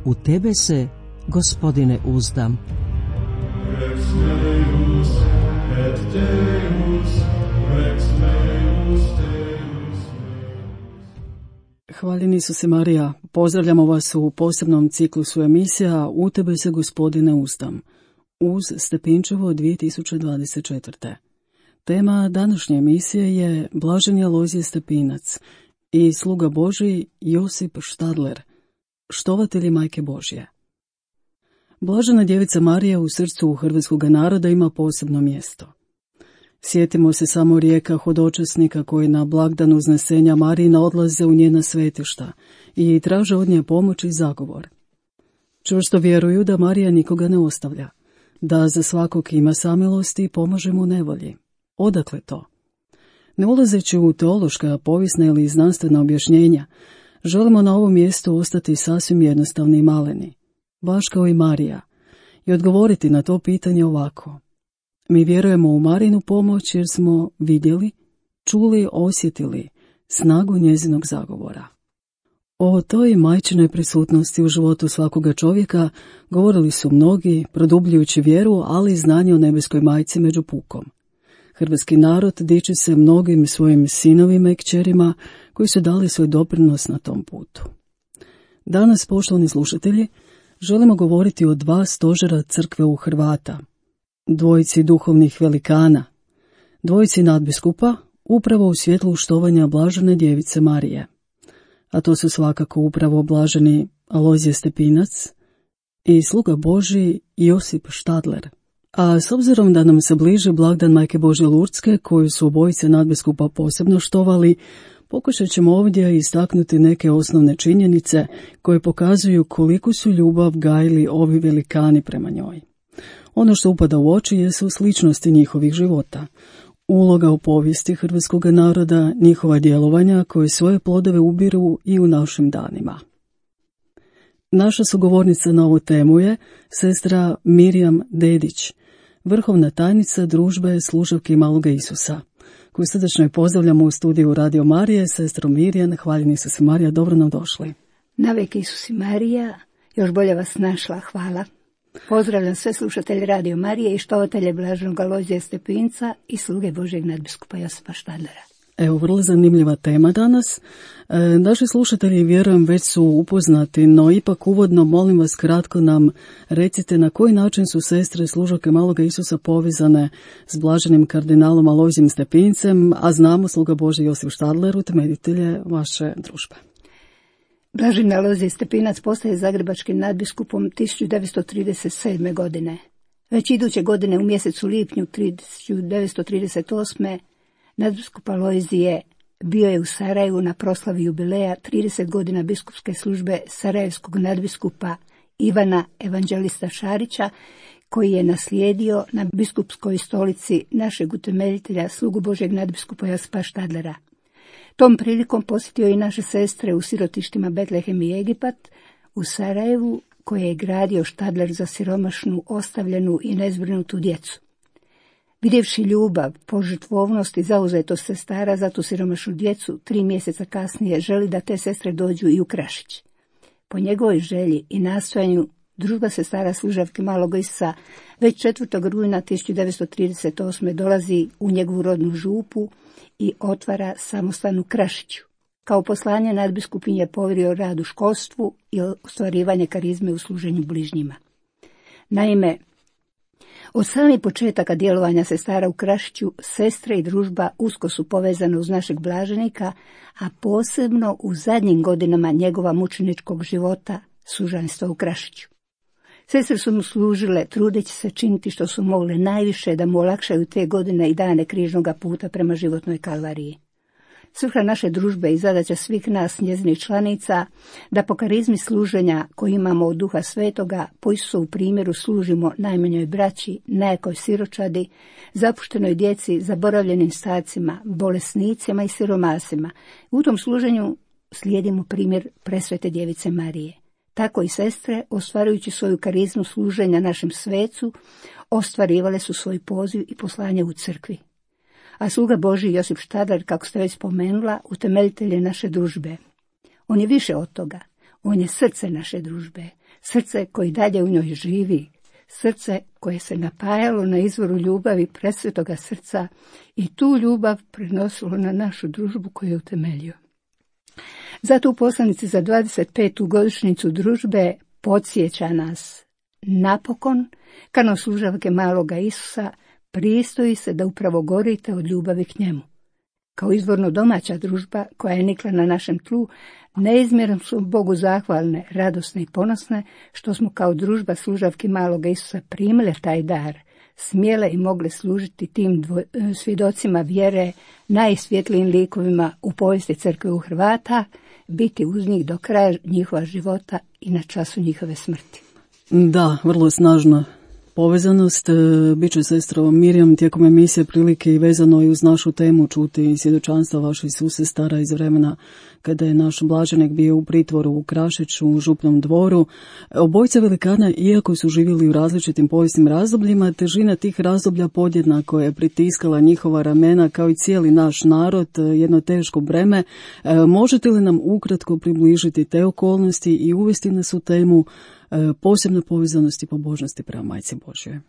U tebe se, Gospodine, uzdam. Rex meus et Deus, Rex meus Deus meus. Hvaljeni Isuse Marija, pozdravljamo vas u posebnom ciklusu emisija U tebe se, Gospodine, uzdam, uz Stepinčevo 2024. Tema današnje emisije je Blaženi Alojzije Stepinac i sluga Božji Josip Štadler, štovatelji Majke Božje. Blažena djevica Marija u srcu hrvatskog naroda ima posebno mjesto. Sjetimo se samo rijeka hodočasnika koji na blagdan uznesenja Marijina odlaze u njena svetišta i traže od nje pomoć i zagovor. Čvrsto vjeruju da Marija nikoga ne ostavlja, da za svakog ima samilosti i pomaže mu nevolji. Odakle to? Ne ulazeći u teološka, povijesna ili znanstvena objašnjenja, želimo na ovom mjestu ostati sasvim jednostavni i maleni, baš kao i Marija, i odgovoriti na to pitanje ovako. Mi vjerujemo u Marijinu pomoć jer smo vidjeli, čuli, osjetili snagu njezinog zagovora. O toj majčinoj prisutnosti u životu svakoga čovjeka govorili su mnogi, produbljujući vjeru, ali i znanje o nebeskoj majci među pukom. Hrvatski narod diči se mnogim svojim sinovima i kćerima koji su dali svoj doprinos na tom putu. Danas, poštovani slušatelji, želimo govoriti o dva stožera crkve u Hrvata, dvojici duhovnih velikana, dvojici nadbiskupa, upravo u svjetlu štovanja Blažene djevice Marije. A to su svakako upravo Blaženi Alojzije Stepinac i sluga Božji Josip Štadler. A s obzirom da nam se bliži blagdan Majke Božje Lurdske, koju su obojice nadbiskupa posebno štovali, pokušat ćemo ovdje istaknuti neke osnovne činjenice koje pokazuju koliko su ljubav gajili ovi velikani prema njoj. Ono što upada u oči jesu sličnosti njihovih života, uloga u povijesti hrvatskog naroda, njihova djelovanja koje svoje plodove ubiru i u našim danima. Naša sugovornica na ovu temu je sestra Mirjam Dedić, vrhovna tajnica družbe Služavki Maloga Isusa, koju srdačno pozdravljamo u studiju Radio Marije. Sestro Mirjam, hvaljeni Isuse Marija, dobro nam došli. Navek Isusi Marija, još bolje vas našla, hvala. Pozdravljam sve slušatelje Radio Marije i štovatelje Blaženog Alojzija Stepinca i sluge Božjeg nadbiskupa Josipa Štadlera. Evo, vrlo zanimljiva tema danas. Naši slušatelji, vjerujem, već su upoznati, no ipak uvodno molim vas kratko nam recite na koji način su sestre Služavke Maloga Isusa povezane s Blaženim kardinalom Alojzijem Stepincem, a znamo sluga Božji Josip Štadler, utemeljitelje vaše družbe. Blaženi Alojzije Stepinac postaje zagrebačkim nadbiskupom 1937. godine. Već iduće godine u mjesecu lipnju 1938. nadbiskup Alojzije bio je u Sarajevu na proslavi jubileja 30 godina biskupske službe sarajevskog nadbiskupa Ivana Evanđelista Šarića, koji je naslijedio na biskupskoj stolici našeg utemeljitelja, slugu Božjeg nadbiskupa Josipa Štadlera. Tom prilikom posjetio i naše sestre u sirotištima Betlehem i Egipat u Sarajevu, koje je gradio Štadler za siromašnu, ostavljenu i nezbrinutu djecu. Vidjevši ljubav, požrtvovnost i zauzetost sestara za tu siromašnu djecu, 3 mjeseca kasnije želi da te sestre dođu i u Krašić. Po njegovoj želji i nastojanju družba sestara Služavke Malog Isusa već 4. rujna 1938. dolazi u njegovu rodnu župu i otvara samostan u Krašiću. Kao poslanje nadbiskupin je povjerio rad u školstvu i ostvarivanje karizme u služenju bližnjima. Naime, od samih početaka djelovanja sestara u Krašiću, sestre i družba usko su povezane uz našeg blaženika, a posebno u zadnjim godinama njegova mučeničkog života, sužanjstva u Krašiću. Sestre su mu služile, trudeći se činiti što su mogle najviše da mu olakšaju te godine i dane križnoga puta prema životnoj kalvariji. Svrha naše družbe i zadaća svih nas, njezinih članica, da po karizmi služenja koju imamo od Duha Svetoga, po Isusovu primjeru služimo najmanjoj braći, nejakoj siročadi, zapuštenoj djeci, zaboravljenim starcima, bolesnicima i siromasima. U tom služenju slijedimo primjer presvete djevice Marije. Tako i sestre, ostvarujući svoju karizmu služenja našem svecu, ostvarivale su svoj poziv i poslanje u crkvi. A sluga Božji Josip Štadler, kako ste već spomenula, utemeljitelj je naše družbe. On je više od toga. On je srce naše družbe. srce koje dalje u njoj živi, srce koje se napajalo na izvoru ljubavi presvetoga srca i tu ljubav prenosilo na našu družbu koju je utemeljio. Zato u poslanici za 25. godišnjicu družbe podsjeća nas: napokon, kao služavke maloga Isusa, pristoji se da upravo gorite od ljubavi k njemu. Kao izvorno domaća družba koja je nikla na našem tlu, neizmjerno su Bogu zahvalne, radosne i ponosne što smo kao družba služavki maloga Isusa primile taj dar, smjele i mogle služiti tim svjedocima vjere, najsvjetlijim likovima u povijesti crkve u Hrvata, biti uz njih do kraja njihova života i na času njihove smrti. Da, vrlo snažna povezanost. Bit će sestro Mirjam tijekom emisije prilike i vezano i uz našu temu čuti svjedočanstva vaših susestara iz vremena kada je naš blaženik bio u pritvoru u Krašiću, u Župnom dvoru. Obojica velikana, iako su živjeli u različitim povijesnim razdobljima, težina tih razdoblja podjednako je pritiskala njihova ramena kao i cijeli naš narod, jedno teško breme. Možete li nam ukratko približiti te okolnosti i uvesti nas u temu posebne povezanosti i pobožnosti prema Majci Božjoj?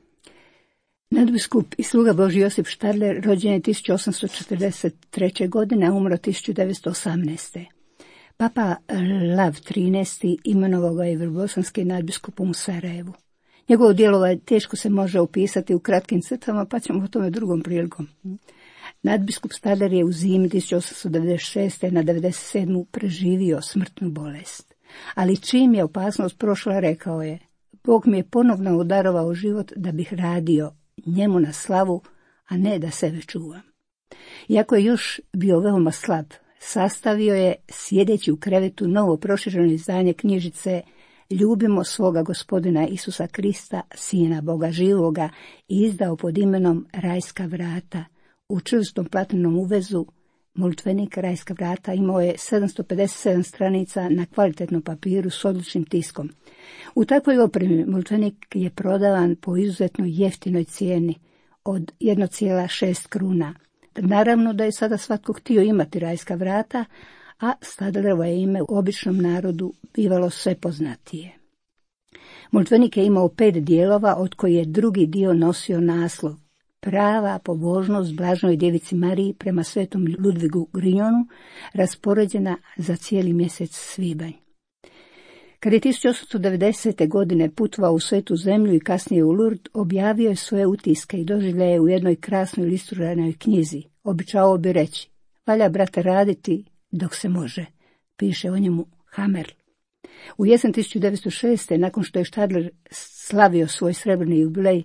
Nadbiskup i sluga Božji Josip Štadler rođen je 1843. godine, a umro 1918. Papa Lav XIII. Imenovao ga je vrbosanskim nadbiskupom u Sarajevu. Njegovo djelovanje teško se može opisati u kratkim crtama, pa ćemo o tome drugom prilikom. Nadbiskup Štadler je u zimi 1896. na 97. preživio smrtnu bolest. Ali čim je opasnost prošla, rekao je: Bog mi je ponovno udarovao život da bih radio njemu na slavu, a ne da sebe čuvam. Iako je još bio veoma slab, sastavio je, sjedeći u krevetu, novo prošireno izdanje knjižice Ljubimo svoga Gospodina Isusa Krista, Sina Boga živoga, i izdao pod imenom Rajska vrata. U čvrstom platnenom uvezu molitvenik Rajska vrata imao je 757 stranica na kvalitetnom papiru s odličnim tiskom. U takvoj opremi molitvenik je prodavan po izuzetno jeftinoj cijeni od 1,6 kruna. Naravno da je sada svatko htio imati Rajska vrata, a Štadlerovo je ime u običnom narodu bivalo sve poznatije. Molitvenik je imao 5 dijelova, od koji je drugi dio nosio naslov Prava pobožnost Blaženoj Djevici Mariji prema svetom Ludvigu Grignonu, raspoređena za cijeli mjesec svibanj. Kad je 1890. godine putovao u Svetu zemlju i kasnije u Lourdes, objavio je svoje utiske i doživljaje u jednoj krasnoj ilustriranoj knjizi. Običavao bi reći: valja, brate, raditi dok se može, piše o njemu Hammerl. U jesen 1906. nakon što je Štadler slavio svoj srebrni jubilej,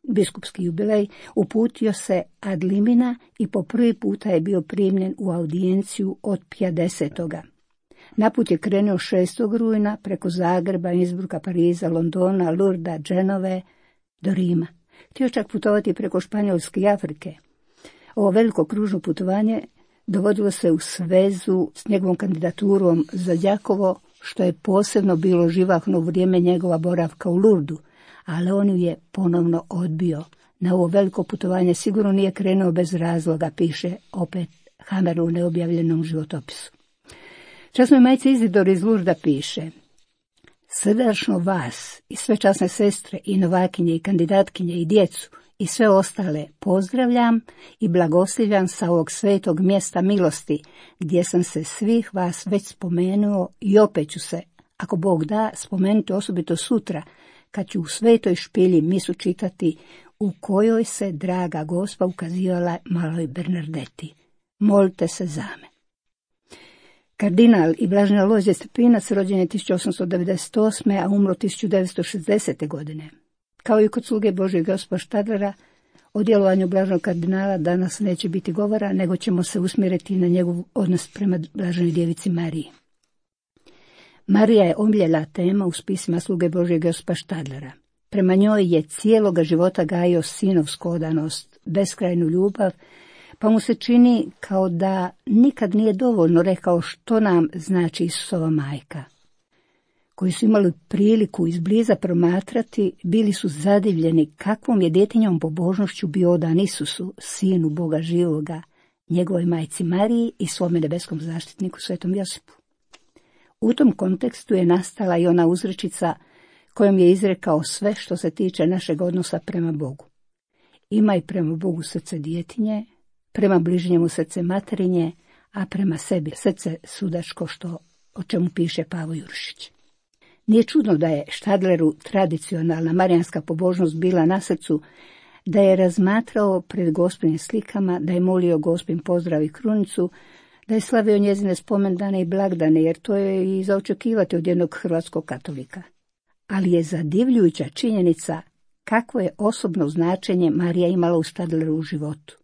biskupski jubilej, uputio se ad limina i po prvi puta je bio primljen u audijenciju od 50. Naput je krenuo 6. rujna preko Zagreba, Innsbrucka, Pariza, Londona, Lourdesa, Dženove do Rima. Htio čak putovati preko Španjolske i Afrike. Ovo veliko kružno putovanje dovodilo se u svezu s njegovom kandidaturom za Đakovo, što je posebno bilo živahno u vrijeme njegova boravka u Lourdesu, ali on ju je ponovno odbio. Na ovo veliko putovanje sigurno nije krenuo bez razloga, piše opet Hammerl u neobjavljenom životopisu. Časnoj majci Izidori iz Lourdesa piše: srdačno vas i sve časne sestre i novakinje i kandidatkinje i djecu i sve ostale pozdravljam i blagoslivljam sa ovog svetog mjesta milosti, gdje sam se svih vas već spomenuo i opet ću se, ako Bog da, spomenuti osobito sutra, kad ću u svetoj špilji misu čitati, u kojoj se draga Gospa ukazivala maloj Bernardeti. Molite se za me. Kardinal i blaženi Alojzije Stepinac rođen je 1898. a umro 1960. godine. Kao i kod sluge Božjeg Josipa Štadlera, o djelovanju blaženog kardinala danas neće biti govora, nego ćemo se usmjeriti na njegov odnos prema blaženoj Djevici Mariji. Marija je omiljena tema u spisima sluge Božjeg Josipa Štadlera. Prema njoj je cijeloga života gajio sinovsku odanost, beskrajnu ljubav, pa mu se čini kao da nikad nije dovoljno rekao što nam znači Isusova majka. Koji su imali priliku izbliza promatrati, bili su zadivljeni kakvom je djetinjom pobožnošću bio odan Isusu, sinu Boga živoga, njegovoj majci Mariji i svome nebeskom zaštitniku svetom Josipu. U tom kontekstu je nastala i ona uzrečica: kojom je izrekao sve što se tiče našeg odnosa prema Bogu. Imaj prema Bogu srce djetinje, prema bližnjemu srce materinje, a prema sebi srce sudačko, o čemu piše Pavo Jurišić. Nije čudno da je Štadleru tradicionalna marijanska pobožnost bila na srcu, da je razmatrao pred Gospinim slikama, da je molio Gospin pozdrav i krunicu, da je slavio njezine spomendane i blagdane, jer to je i za očekivati od jednog hrvatskog katolika. Ali je zadivljujuća činjenica kakvo je osobno značenje Marija imala u Štadleru u životu.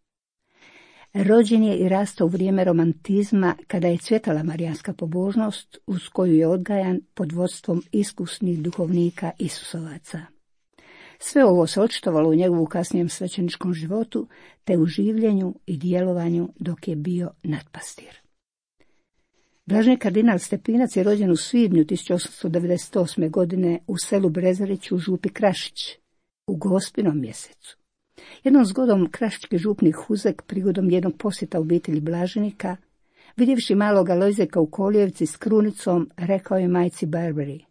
Rođen je i rastao u vrijeme romantizma, kada je cvjetala marijanska pobožnost, uz koju je odgajan pod vodstvom iskusnih duhovnika Isusovaca. Sve ovo se očitovalo u njegovu kasnijem svećeničkom životu, te u življenju i djelovanju dok je bio nadpastir. Blaženi kardinal Stepinac je rođen u svibnju 1898. godine u selu Brezarić u župi Krašić, u Gospinom mjesecu. Jednom zgodom krašički župnik Huzek prigodom jednog posjeta obitelji blaženika, vidjevši maloga Lojzeka u kolijevci s krunicom, rekao je majci Barbari: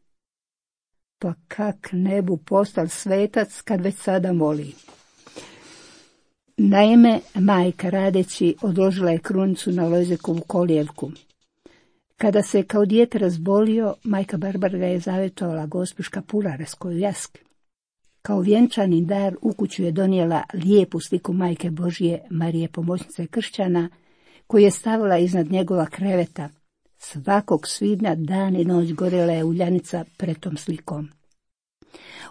"Pa kak ne bu postal svetac kad već sada moli." Naime, majka radeći odložila je krunicu na Lojzekovu kolijevku. Kada se kao dijete razbolio, majka Barbara ga je zavjetovala gospi Škapulareskoju jaski. Kao vjenčani dar u kuću je donijela lijepu sliku Majke Božje, Marije pomoćnice kršćana, koju je stavila iznad njegova kreveta. Svakog svibnja dan i noć gorela je uljanica pred tom slikom.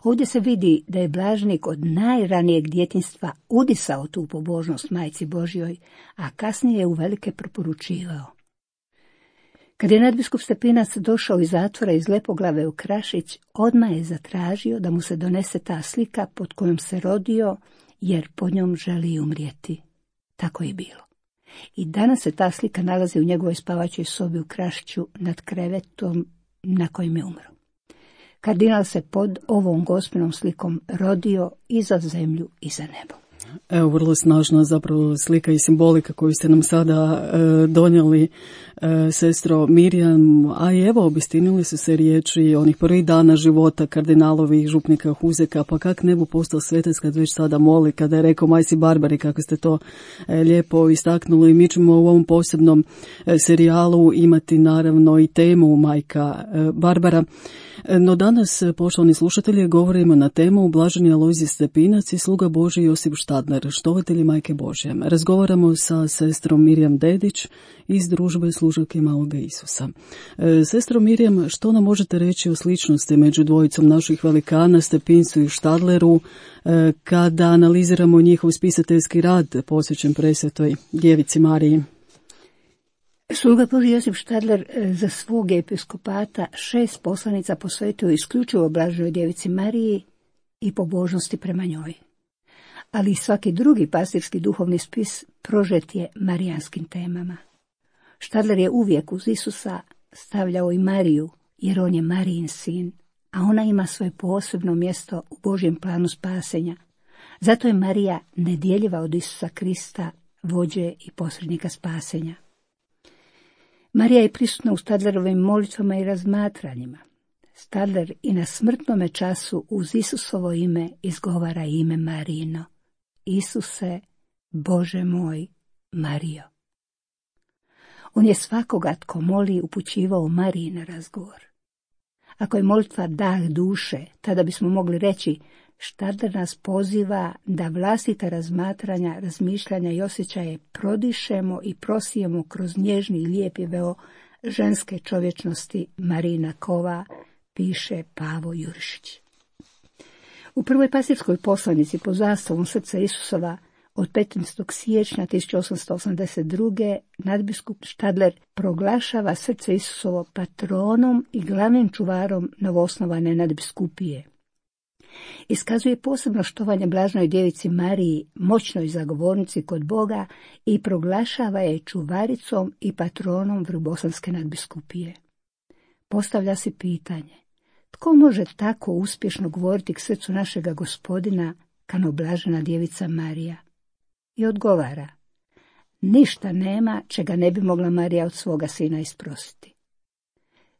Ovdje se vidi da je blaženik od najranijeg djetinjstva udisao tu pobožnost Majci Božjoj, a kasnije je uvelike preporučivao. Kad je nadbiskup Stepinac došao iz zatvora iz Lepoglave u Krašić, odmah je zatražio da mu se donese ta slika pod kojom se rodio, jer pod njom želi umrijeti. Tako je bilo. I danas se ta slika nalazi u njegovoj spavaćoj sobi u Krašiću nad krevetom na kojem je umro. Kardinal se pod ovom Gospinom slikom rodio i za zemlju i za nebo. Evo, vrlo snažna zapravo slika i simbolika koju ste nam sada donijeli, sestro Mirjam, a i evo obistinili su se riječi onih prvih dana života kardinalovih župnika Huzeka, pa kak ne bu postao svetac kad već sada moli, kada je rekao majci Barbari, kako ste to lijepo istaknuli. Mi ćemo u ovom posebnom serijalu imati naravno i temu majka Barbara. No danas, poštovani slušatelji, govorimo na temu Blaženi Alojzije Stepinac i sluga Božji Josip Štadler, štovatelji Majke Božje. Razgovaramo sa sestrom Mirjam Dedić iz družbe služavke Maloga Isusa. Sestro Mirjam, što nam možete reći o sličnosti među dvojicom naših velikana, Stepincu i Štadleru, kada analiziramo njihov spisateljski rad posvećen presvetoj Djevici Mariji? Sluga Božji Josip Štadler za svog episkopata 6 poslanica posvetio isključivo Blaženoj Djevici Mariji i pobožnosti prema njoj. Ali svaki drugi pastirski duhovni spis prožet je marijanskim temama. Štadler je uvijek uz Isusa stavljao i Mariju, jer on je Marijin sin, a ona ima svoje posebno mjesto u Božjem planu spasenja. Zato je Marija nedjeljiva od Isusa Krista, vođe i posrednika spasenja. Marija je prisutna u Štadlerovim molitvama i razmatranjima. Štadler i na smrtnome času uz Isusovo ime izgovara ime Marijino: Isuse, Bože moj, Marijo. On je svakoga tko moli upućivao Mariji na razgovor. Ako je molitva dah duše, tada bismo mogli reći: Štadler nas poziva da vlastita razmatranja, razmišljanja i osjećaje prodišemo i prosijemo kroz nježni i lijepi veo ženske čovječnosti Marina Kova, piše Pavo Jurišić. U prvoj pastirskoj poslanici pod zastavom Srca Isusova od 15. siječnja 1882. nadbiskup Štadler proglašava Srce Isusovo patronom i glavnim čuvarom novoosnovane nadbiskupije. Iskazuje posebno štovanje Blaženoj Djevici Mariji, moćnoj zagovornici kod Boga, i proglašava je čuvaricom i patronom Vrbosanske nadbiskupije. Postavlja se pitanje: tko može tako uspješno govoriti k srcu našega Gospodina kano Blažena Djevica Marija? I odgovara: ništa nema čega ne bi mogla Marija od svoga sina isprositi.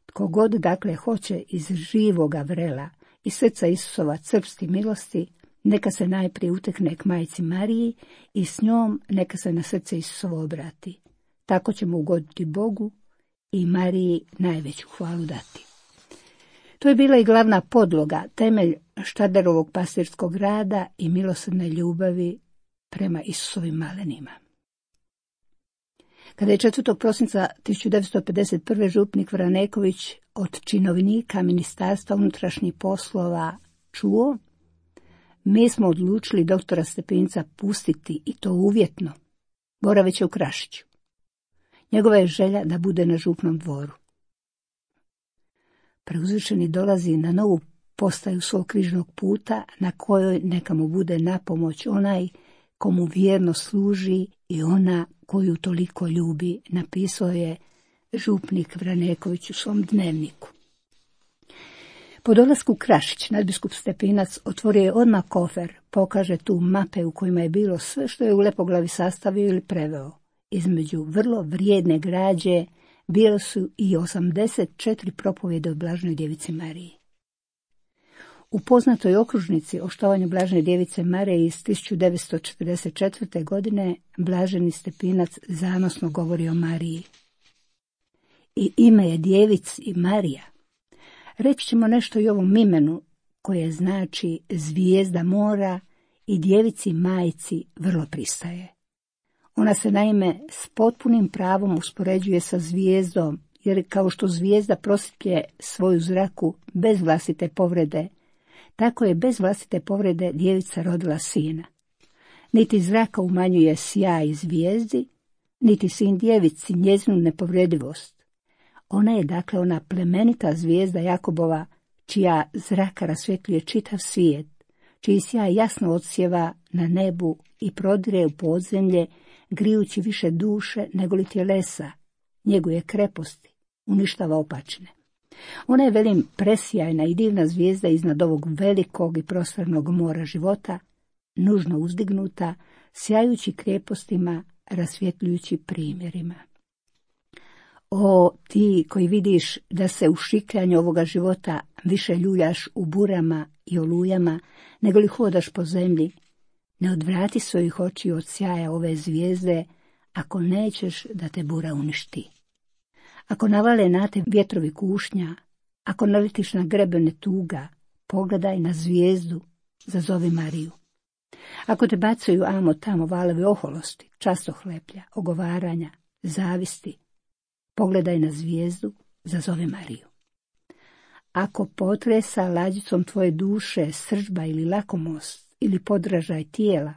Tko god dakle hoće iz živoga vrela iz srca Isusova crpsti milosti, neka se najprije utekne k majci Mariji i s njom neka se na srce Isusovo obrati. Tako ćemo ugoditi Bogu i Mariji najveću hvalu dati. To je bila i glavna podloga, temelj Štaderovog pastirskog rada i milosrdne ljubavi prema Isusovim malenima. Kada je 4. prosinca 1951. župnik Vraneković od činovnika Ministarstva unutrašnjih poslova čuo, mi smo odlučili doktora Stepinca pustiti, i to uvjetno, boraveće u Krašiću. Njegova je želja da bude na župnom dvoru. Preuzvišeni dolazi na novu postaju svog križnog puta, na kojoj neka mu bude napomoć onaj komu vjerno služi i ona koju toliko ljubi, napisao je župnik Vraneković u svom dnevniku. Po dolasku Krašić, nadbiskup Stepinac otvorio je odmah kofer, pokaže tu mape u kojima je bilo sve što je u Lepoglavi sastavio ili preveo. Između vrlo vrijedne građe bile su i 84 propovjede o Blaženoj djevici Mariji. U poznatoj okružnici o štovanju Blažene djevice Marije iz 1944. godine Blaženi Stepinac zanosno govori o Mariji. I ime je djevici Marija. Reći ćemo nešto i ovom imenu koje znači zvijezda mora i djevici majci vrlo pristaje. Ona se naime s potpunim pravom uspoređuje sa zvijezdom, jer kao što zvijezda prosvjetlje svoju zraku bez vlastite povrede, tako je bez vlastite povrede djevica rodila sina. Niti zraka umanjuje sjaj zvijezdi, niti sin djevici njezinu nepovredivost. Ona je dakle ona plemenita zvijezda Jakobova, čija zraka rasvjetljuje čitav svijet, čiji sjaj jasno odsjeva na nebu i prodire u podzemlje, grijući više duše nego li tjelesa, njeguje kreposti, uništava opačine. Ona je, velim, presjajna i divna zvijezda iznad ovog velikog i prostornog mora života, nužno uzdignuta, sjajući krepostima, rasvjetljujući primjerima. O, ti koji vidiš da se u šikljanju ovoga života više ljuljaš u burama i olujama, nego li hodaš po zemlji, ne odvrati svojih očiju od sjaja ove zvijezde, ako nećeš da te bura uništi. Ako navale na te vjetrovi kušnja, ako naletiš na grebene tuga, pogledaj na zvijezdu, zazovi Mariju. Ako te bacaju amo tamo valovi oholosti, častohleplja, ogovaranja, zavisti, pogledaj na zvijezdu, zazovi Mariju. Ako potresa lađicom tvoje duše srdžba ili lakomost ili podražaj tijela,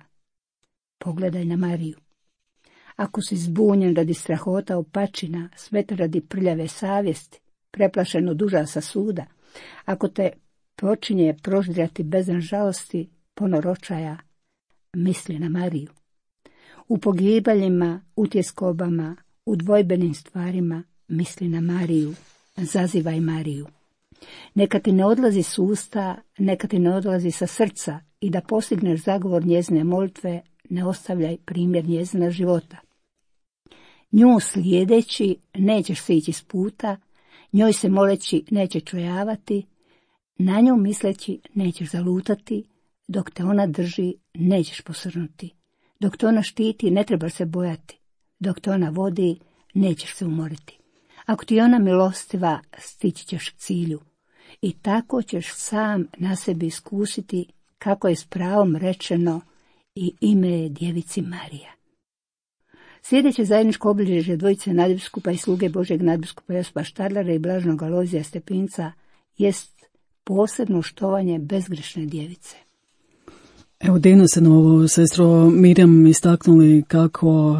pogledaj na Mariju. Ako si zbunjen radi strahota opačina, smetan radi prljave savjesti, preplašen od užasa suda, ako te počinje proždirati bezdan žalosti, ponor očaja, misli na Mariju. U pogibaljima, utjeskobama, u dvojbenim stvarima, misli na Mariju, zazivaj Mariju. Neka ti ne odlazi s usta, neka ti ne odlazi sa srca, i da postigneš zagovor njezine molitve, ne ostavljaj primjer njezina života. Nju slijedeći nećeš se ići s puta, njoj se moleći neće čojavati, na nju misleći nećeš zalutati, dok te ona drži nećeš posrnuti, dok te ona štiti ne trebaš se bojati, dok te ona vodi nećeš se umoriti. Ako ti je ona milostiva, stići ćeš k cilju i tako ćeš sam na sebi iskusiti kako je s pravom rečeno i ime je djevici Marija. Sljedeće zajedničko obilježje dvojice nadbiskupa i sluge Božjeg nadbiskupa Josipa Štadlera i Blaženog Alojzija Stepinca jest posebno štovanje bezgrešne djevice. Evo, divno se novo, sestro Mirjam, istaknuli kako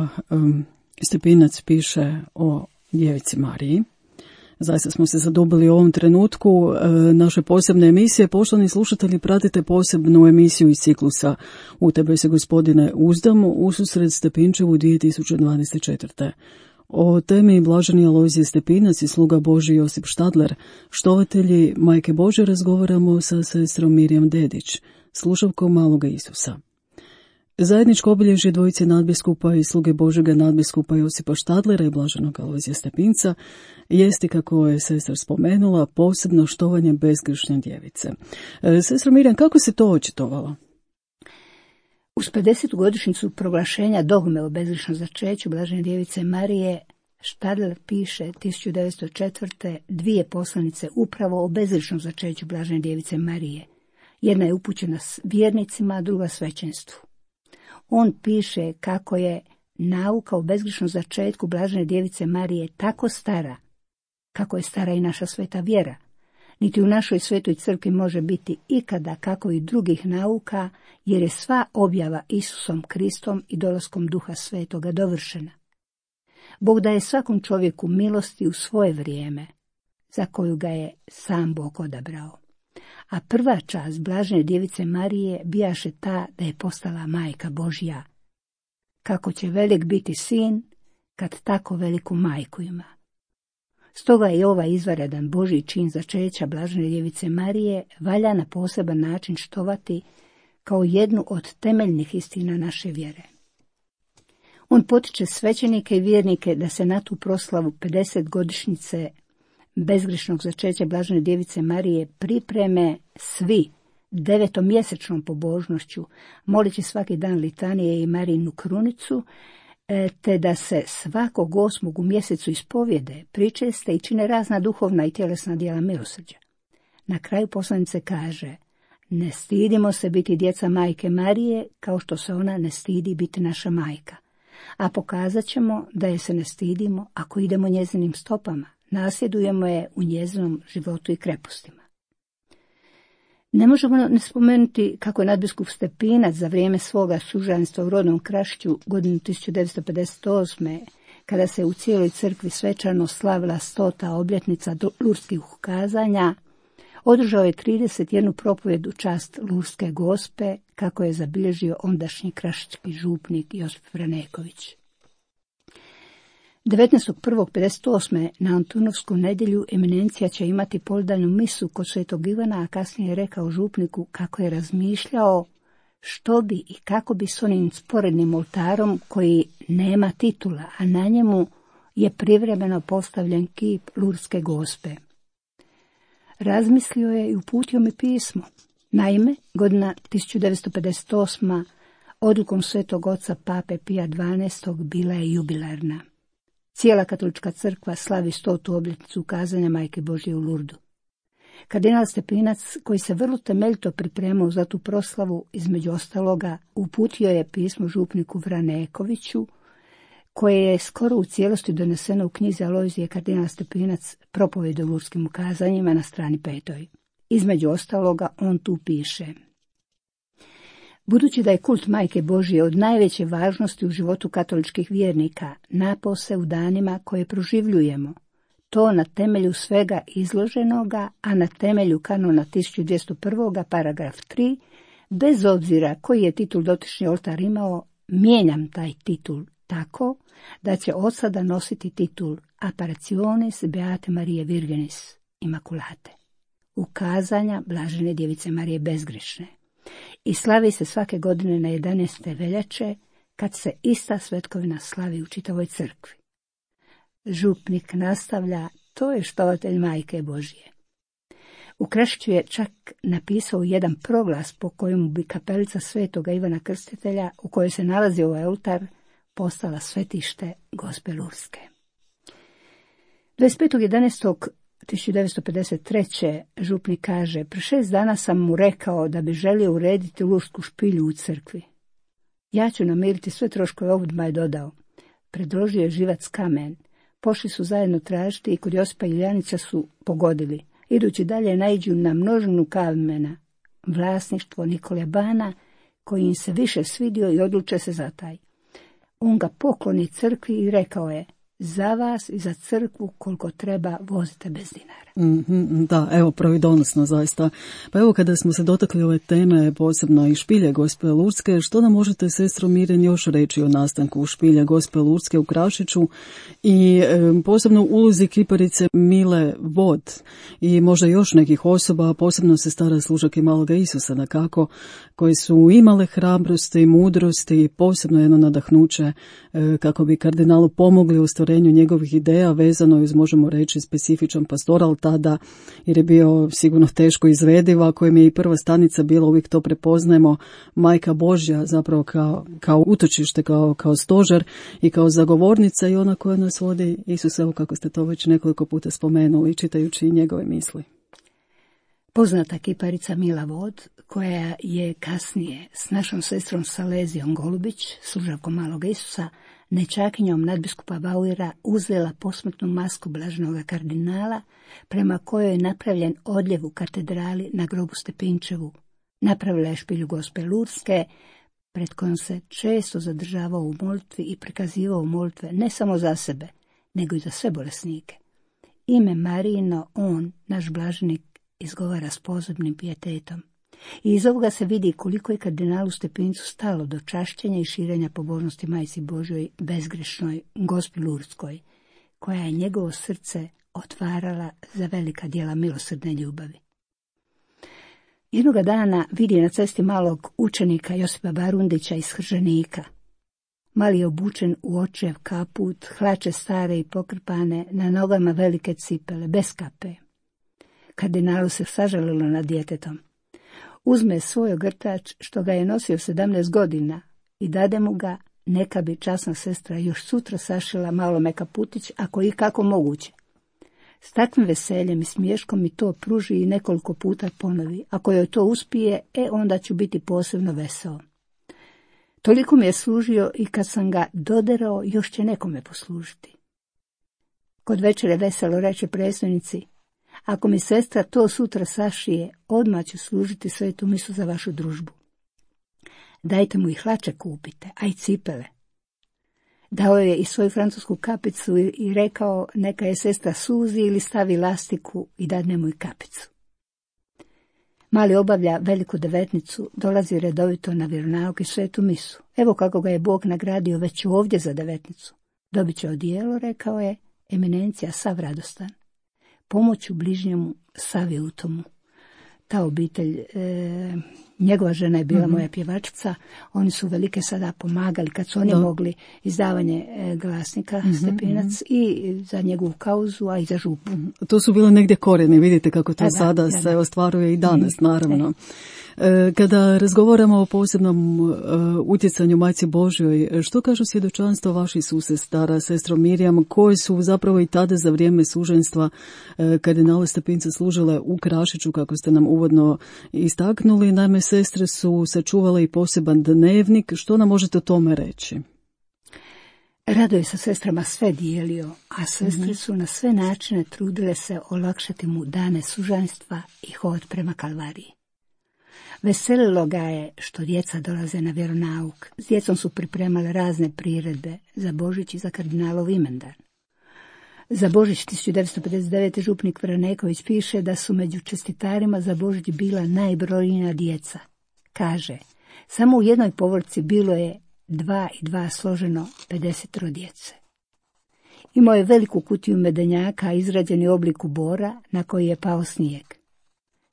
Stepinac piše o djevici Mariji. Zaista smo se zadobili u ovom trenutku naše posebne emisije. Poštovani slušatelji, pratite posebnu emisiju iz ciklusa U tebe se, Gospodine, uzdam, ususret Stepinčevu 2024. O temi Blaženi Alojzije Stepinac i sluga Božji Josip Štadler, štovatelji Majke Božje, razgovaramo sa sestrom Mirjam Dedić, slušavkom Maloga Isusa. Zajedničko obilježje dvojice nadbiskupa i sluge Božjega nadbiskupa Josipa Štadlera i blaženog Alojzija Stepinca jesti, kako je sestra spomenula, posebno štovanje bezgrešne djevice. Sestra Mirjam, kako se to očitovalo? Uz 50. godišnjicu proglašenja dogme o bezgrešnom začeću blažene djevice Marije, Štadler piše 1904. dvije poslanice upravo o bezgrešnom začeću blažene djevice Marije. Jedna je upućena vjernicima, a druga svećenstvu. On piše kako je nauka o bezgrešnom začetku blažene djevice Marije tako stara, kako je stara i naša sveta vjera. Niti u našoj svetoj crkvi može biti ikada kako i drugih nauka, jer je sva objava Isusom Kristom i dolaskom Duha Svetoga dovršena. Bog daje svakom čovjeku milosti u svoje vrijeme, za koju ga je sam Bog odabrao. A prva čast blažene djevice Marije bijaše ta da je postala majka Božja. Kako će velik biti sin, kad tako veliku majku ima. Stoga je ovaj izvanredan Božji čin začeća blažene djevice Marije valja na poseban način štovati kao jednu od temeljnih istina naše vjere. On potiče svećenike i vjernike da se na tu proslavu 50 godišnjice bezgrešnog začeća blažene djevice Marije pripreme svi 9-mjesečnom pobožnošću, moleći svaki dan litanije i Marijinu krunicu, te da se svakog 8. u mjesecu ispovjede, pričeste i čine razna duhovna i tjelesna djela milosrđa. Na kraju poslanice kaže: ne stidimo se biti djeca majke Marije, kao što se ona ne stidi biti naša majka. A pokazat ćemo da je se ne stidimo ako idemo njezinim stopama, nasljedujemo je u njezinom životu i krepostima. Ne možemo ne spomenuti kako je nadbiskup Stepinac za vrijeme svoga sužanstva u rodnom Krašću godinu 1958. kada se u cijeloj crkvi svečano slavila 100. obljetnica lurdskih ukazanja, održao je 31 propovjed u čast Lurdske Gospe, kako je zabilježio ondašnji kraški župnik Josip Vraneković. 19.1.58. na Antunovsku nedjelju eminencija će imati poldanju misu kod svetog Ivana, a kasnije je rekao župniku kako je razmišljao što bi i kako bi s onim sporednim oltarom koji nema titula, a na njemu je privremeno postavljen kip Lurdske Gospe. Razmislio je i uputio mi pismo. Naime, godina 1958. odlukom svetog oca Pape Pija XII. Bila je jubilarna. Cijela katolička crkva slavi 100. obljetnicu ukazanja Majke Božje u Lurdu. Kardinal Stepinac, koji se vrlo temeljito pripremao za tu proslavu, između ostaloga uputio je pismo župniku Vranekoviću, koje je skoro u cijelosti doneseno u knjizi Alojzije kardinal Stepinac propovjed o lurskim ukazanjima na strani 5. Između ostaloga on tu piše: budući da je kult Majke Božje od najveće važnosti u životu katoličkih vjernika, napose u danima koje proživljujemo, to na temelju svega izloženoga, a na temelju kanona 1201. paragraf 3, bez obzira koji je titul dotični oltar imao, mijenjam taj titul tako da će od sada nositi titul Apparitionis Beate Marie Virginis Immaculate, ukazanja blažene djevice Marije bezgrešne, i slavi se svake godine na 11. veljače, kad se ista svetkovina slavi u čitavoj crkvi. Župnik nastavlja: to je štovatelj Majke Božje. U Krašiću je čak napisao jedan proglas po kojemu bi kapelica svetoga Ivana Krstitelja, u kojoj se nalazi ovaj oltar, postala svetište Gospe Lurske. 25.11.1953. župnik kaže: pre 6 dana sam mu rekao da bi želio urediti lursku špilju u crkvi. Ja ću namiriti sve troškove, odmah je dodao. Predložio je živac kamen. Pošli su zajedno tražiti i kod Josipa Iljanića su pogodili. Idući dalje naiđu na množinu kamena, vlasništvo Nikole Bana, koji im se više svidio i odluče se za taj. On ga pokloni crkvi i rekao je: za vas i za crkvu koliko treba vozite bez dinara. Da, evo, pravidonosno zaista. Pa evo, kada smo se dotakli ove teme, posebno i špilje Gospe Lurdske, što nam možete, sestro Mirjana, još reći o nastanku špilje Gospe Lurdske u Krašiću i posebno ulozi kiparice Mile Vod i možda još nekih osoba, posebno sestara služake Maloga Isusa, dakako, koji su imale hrabrosti i mudrosti i posebno jedno nadahnuće kako bi kardinalu pomogli u ostvarenju njegovih ideja vezano uz, možemo reći, specifičan pastoral tada, jer je bio sigurno teško izvediva, kojem je i prva stanica bila, uvijek to prepoznajemo, Majka Božja, zapravo kao utočište, kao stožer i kao zagovornica i ona koja nas vodi Isus, evo kako ste to već nekoliko puta spomenuli, čitajući njegove misli. Poznata kiparica Mila Vod, koja je kasnije s našom sestrom Salezijom Golubić, služavkom Maloga Isusa, nečakinjom nadbiskupa Bauera, uzela posmrtnu masku blaženoga kardinala, prema kojoj je napravljen odljev u katedrali na grobu Stepinčevu. Napravila je špilju Gospe Lurdske, pred kojom se često zadržavao u molitvi i prikazivao molitve ne samo za sebe, nego i za sve bolesnike. Ime Marijino on, naš blaženik, izgovara s posebnim pijetetom. I iz ovoga se vidi koliko je kardinalu Stepincu stalo do čašćenja i širenja pobožnosti Majci Božjoj bezgrešnoj Gospi Lurdskoj, koja je njegovo srce otvarala za velika djela milosrdne ljubavi. Jednoga dana vidi na cesti malog učenika Josipa Barundića iz Hrženika. Mali je obučen u očev kaput, hlače stare i pokrpane, na nogama velike cipele, bez kape. Kardinalu se sažalilo nad djetetom. Uzme svoj ogrtač, što ga je nosio 17 godina, i dade mu ga, neka bi časna sestra još sutra sašila malome kaputić, ako i kako moguće. S takvim veseljem i smiješkom mi to pruži i nekoliko puta ponovi. Ako joj to uspije, onda ću biti posebno veseo. Toliko mi je služio i kad sam ga doderao, još će nekome poslužiti. Kod večere veselo reče predstojnici: ako mi sestra to sutra sašije, odmah ću služiti svetu misu za vašu družbu. Dajte mu i hlače kupite, a i cipele. Dao je i svoju francusku kapicu i rekao neka je sestra suzi ili stavi lastiku i dadne mu i kapicu. Mali obavlja veliku devetnicu, dolazi redovito na vjeronauk i svetu misu. Evo kako ga je Bog nagradio već ovdje za devetnicu. Dobit će odijelo, rekao je, eminencija sav radostan. Pomoću bližnjemu sav je u tomu. Ta obitelj, njegova žena je bila moja pjevačica, oni su velike sada pomagali kad su oni mogli izdavanje glasnika Stepinac i za njegovu kauzu, a i za župu. To su bile negdje korijeni, vidite kako to sada se ostvaruje i danas, naravno. Kada razgovaramo o posebnom utjecanju Majci Božjoj, što kažu svjedočanstva vaših susestara, sestro Mirjam, koje su zapravo i tada za vrijeme suženstva kardinala Stepinca služile u Krašiću, kako ste nam uvodno istaknuli? Naime, sestre su sačuvale i poseban dnevnik. Što nam možete o tome reći? Rado je sa sestrama sve dijelio, a sestre su na sve načine trudile se olakšati mu dane sužanstva i hod prema Kalvariji. Veselilo ga je što djeca dolaze na vjeronauk. S djecom su pripremale razne priredbe za Božić i za kardinalov imendan. Za Božić 1959. župnik Vraneković piše da su među čestitarima za Božić bila najbrojnija djeca. Kaže, samo u jednoj povorci bilo je 2 i 2 složeno 50 djece. Imao je veliku kutiju medenjaka izrađeni u obliku bora na koji je pao snijeg.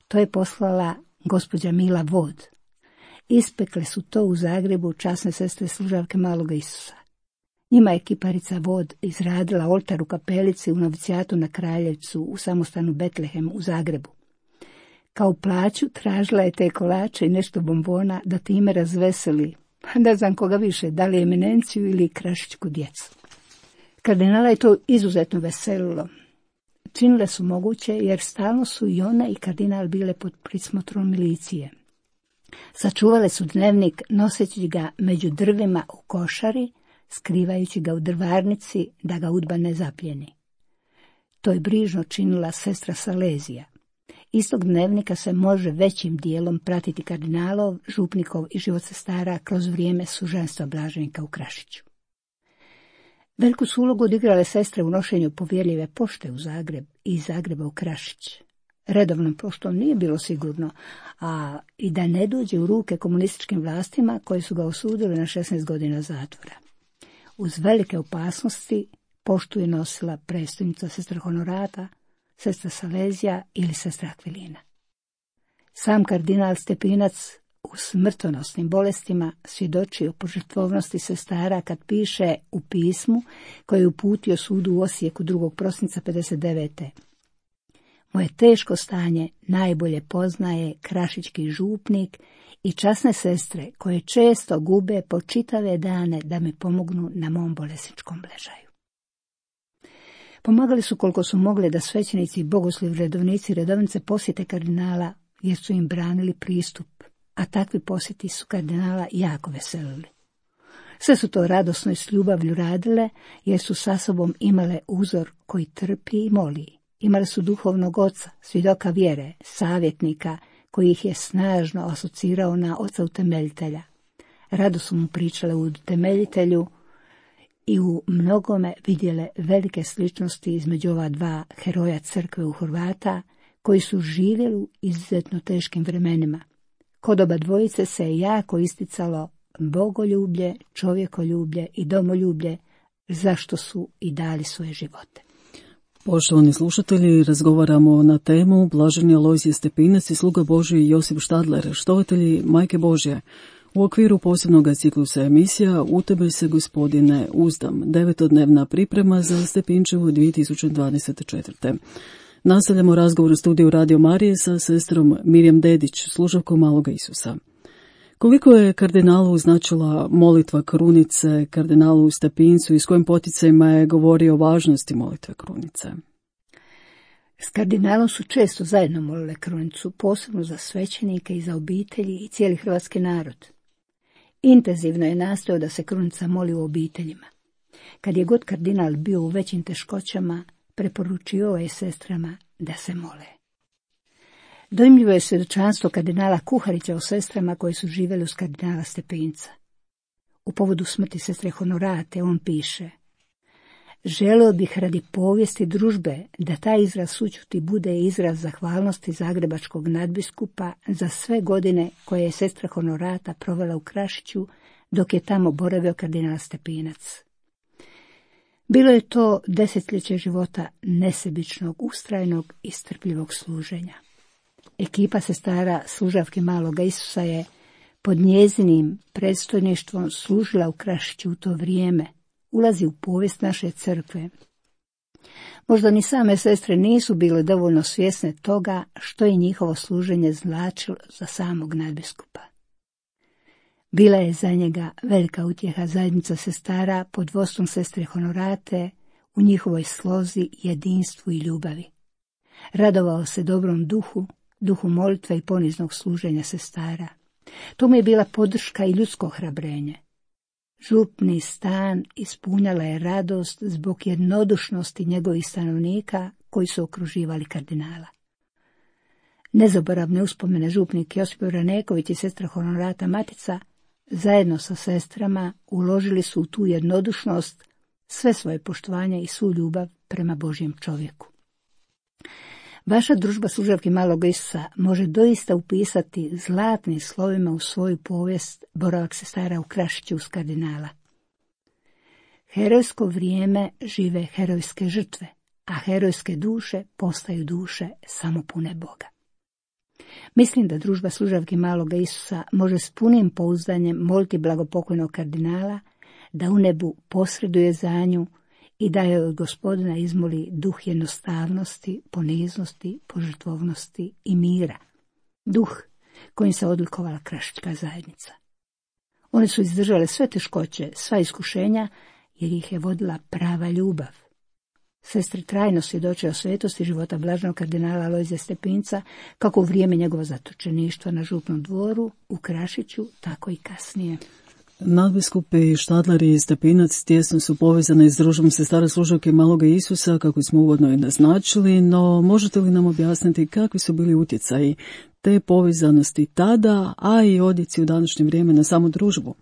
To je poslala gospođa Mila Vod. Ispekle su to u Zagrebu časne sestre služavke Maloga Isusa. Njima je kiparica Vod izradila oltar u kapelici u novicijatu na Kraljevcu u samostanu Betlehem u Zagrebu. Kao plaću tražila je te kolače i nešto bombona da time razveseli, ne znam koga više, da li eminenciju ili krašićku djecu. Kardinala je to izuzetno veselilo. Činile su moguće jer stalno su i ona i kardinal bile pod prismotrom milicije. Sačuvale su dnevnik noseći ga među drvima u košari, skrivajući ga u drvarnici da ga udba ne zapljeni. To je brižno činila sestra Salezija. Iz tog dnevnika se može većim dijelom pratiti kardinalov, župnikov i život sestara kroz vrijeme suženstva blaženika u Krašiću. Veliku su ulogu odigrale sestre u nošenju povjerljive pošte u Zagreb i iz Zagreba u Krašić. Redovnom poštom nije bilo sigurno, a i da ne dođe u ruke komunističkim vlastima koji su ga osudili na 16 godina zatvora. Uz velike opasnosti poštu je nosila predstojnica sestra Honorata, sestra Salezija ili sestra Akvilina. Sam kardinal Stepinac u smrtonosnim bolestima svjedoči o požrtvovnosti sestara kad piše u pismu koje je uputio sudu u Osijeku 2. prosinca 59. Moje teško stanje najbolje poznaje krašički župnik i časne sestre koje često gube po čitave dane da mi pomognu na mom bolesničkom ležaju. Pomagali su koliko su mogli da svećenici, bogoslovi, redovnici i redovnice posjete kardinala jer su im branili pristup, a takvi posjeti su kardinala jako veselili. Sve su to radosno i s ljubavlju radile jer su sa sobom imale uzor koji trpi i moli. Imali su duhovnog oca, svjedoka vjere, savjetnika koji ih je snažno asocirao na oca utemeljitelja. Rado su mu pričale u utemeljitelju i u mnogome vidjele velike sličnosti između ova dva heroja crkve u Horvata koji su živjeli u izuzetno teškim vremenima. Kod oba dvojice se je jako isticalo bogoljublje, čovjekoljublje i domoljublje, zašto su i dali svoje živote. Poštovani slušatelji, razgovaramo na temu Blaženi Alojzije Stepinac i sluga Božji Josip Štadler, štovatelji Majke Božje. U okviru posebnog ciklusa emisija U tebe se, Gospodine, uzdam, 9-dnevna priprema za Stepinčevu 2024. Nastavljamo razgovor u studiju Radio Marije sa sestrom Mirjam Dedić, služavkom Maloga Isusa. Koliko je kardinalu značila molitva krunice kardinalu Stepincu i s kojim poticajima je govorio o važnosti molitve krunice? S kardinalom su često zajedno molile krunicu, posebno za svećenike i za obitelji i cijeli hrvatski narod. Intenzivno je nastojao da se krunica moli u obiteljima. Kad je god kardinal bio u većim teškoćama, preporučio je sestrama da se mole. Dojmljivo je svjedočanstvo kardinala Kuharića o sestrama koje su živjeli uz kardinala Stepinca. U povodu smrti sestre Honorate on piše: želio bih radi povijesti družbe da taj izraz sućuti bude izraz zahvalnosti zagrebačkog nadbiskupa za sve godine koje je sestra Honorata provela u Krašiću dok je tamo boravio kardinal Stepinac. Bilo je to desetljeće života nesebičnog, ustrajnog i strpljivog služenja. Ekipa sestara služavke Maloga Isusa je pod njezinim predstojništvom služila u Krašiću u to vrijeme, ulazi u povijest naše crkve. Možda ni same sestre nisu bile dovoljno svjesne toga što je njihovo služenje značilo za samog nadbiskupa. Bila je za njega velika utjeha zajednica sestara pod vodstvom sestre Honorate u njihovoj slozi, jedinstvu i ljubavi. Radovao se dobrom duhu, duhu molitve i poniznog služenja sestara. To mu je bila podrška i ljudsko ohrabrenje. Župni stan ispunjala je radost zbog jednodušnosti njegovih stanovnika koji su okruživali kardinala. Nezaboravne uspomene župnik Josip Raneković i sestra Honorata Matica zajedno sa sestrama uložili su u tu jednodušnost sve svoje poštovanje i svu ljubav prema Božjem čovjeku. Vaša družba služavki Malog Isusa može doista upisati zlatnim slovima u svoju povijest boravak sestara u Krašiću uz kardinala. Herojsko vrijeme žive herojske žrtve, a herojske duše postaju duše samopune Boga. Mislim da družba služavki Maloga Isusa može s punim pouzdanjem moliti blagopokojnog kardinala da u nebu posreduje za nju i da joj od Gospodina izmoli duh jednostavnosti, poniznosti, požrtvovnosti i mira. Duh kojim se odlikovala krašička zajednica. One su izdržale sve teškoće, sva iskušenja, jer ih je vodila prava ljubav. Sestre trajno svjedoče o svetosti života blaženog kardinala Alojzija Stepinca, kako u vrijeme njegova zatočeništva na župnom dvoru u Krašiću, tako i kasnije. Nadbiskupi Štadler i Stepinac tjesno su povezane s družbom sestara služavke Maloga Isusa, kako smo uvodno i naznačili, no možete li nam objasniti kakvi su bili utjecaji te povezanosti tada, a i odjeci u današnje vrijeme na samu družbu?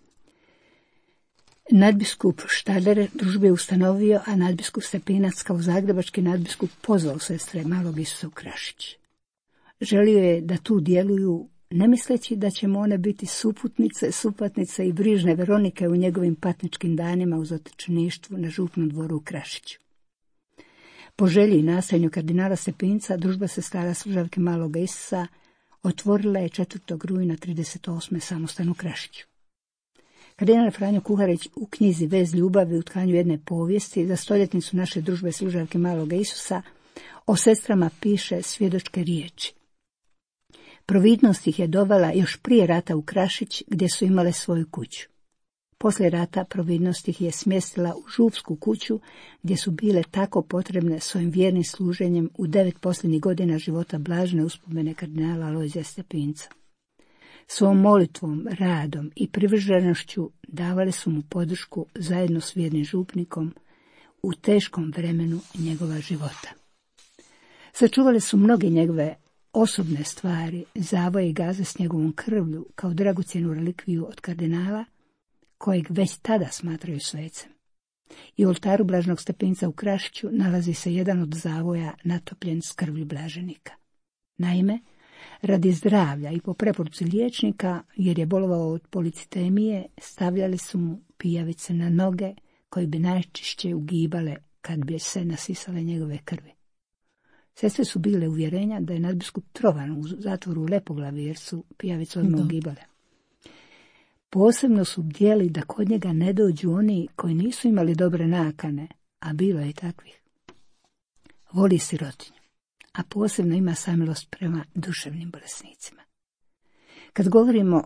Nadbiskup Štadler družbu je ustanovio, a nadbiskup Stepinac kao zagrebački nadbiskup pozvao sestre Malog Isusa u Krašić. Želio je da tu djeluju, ne misleći da će mu one biti supatnice i brižne Veronike u njegovim patničkim danima u zatočeništvu na župnom dvoru u Krašiću. Po želji i nastojanju kardinala Stepinca, družba sestara Služavke Maloga Isusa otvorila je 4. rujna 38. samostan u Krašiću. Kardinal Franjo Kuharić u knjizi Vez ljubavi u tkanju jedne povijesti za stoljetnicu naše družbe Služavke Maloga Isusa o sestrama piše svjedočke riječi. Providnost ih je dovela još prije rata u Krašić, gdje su imale svoju kuću. Poslije rata providnost ih je smjestila u župsku kuću, gdje su bile tako potrebne svojim vjernim služenjem u 9 posljednjih godina života blažene uspomene kardinala Alojzija Stepinca. Svom molitvom, radom i privrženošću davali su mu podršku zajedno s vjernim župnikom u teškom vremenu njegova života. Sačuvali su mnoge njegove osobne stvari, zavoje i gaze s njegovom krvlju kao dragocjenu relikviju od kardinala, kojeg već tada smatraju svecem. I u oltaru Blaženog Stepinca u Krašiću nalazi se jedan od zavoja natopljen s krvlju blaženika. Naime, radi zdravlja i po preporuci liječnika, jer je bolovao od policitemije, stavljali su mu pijavice na noge, koje bi najčešće ugibale kad bi se nasisale njegove krvi. Sestre su bile uvjerenja da je nadbiskup trovan u zatvoru u Lepoglavi, jer su pijavice odmah ugibale. Posebno su bdjeli da kod njega ne dođu oni koji nisu imali dobre nakane, a bilo je i takvih. Voli sirotinju, a posebno ima samilost prema duševnim bolesnicima. Kad govorimo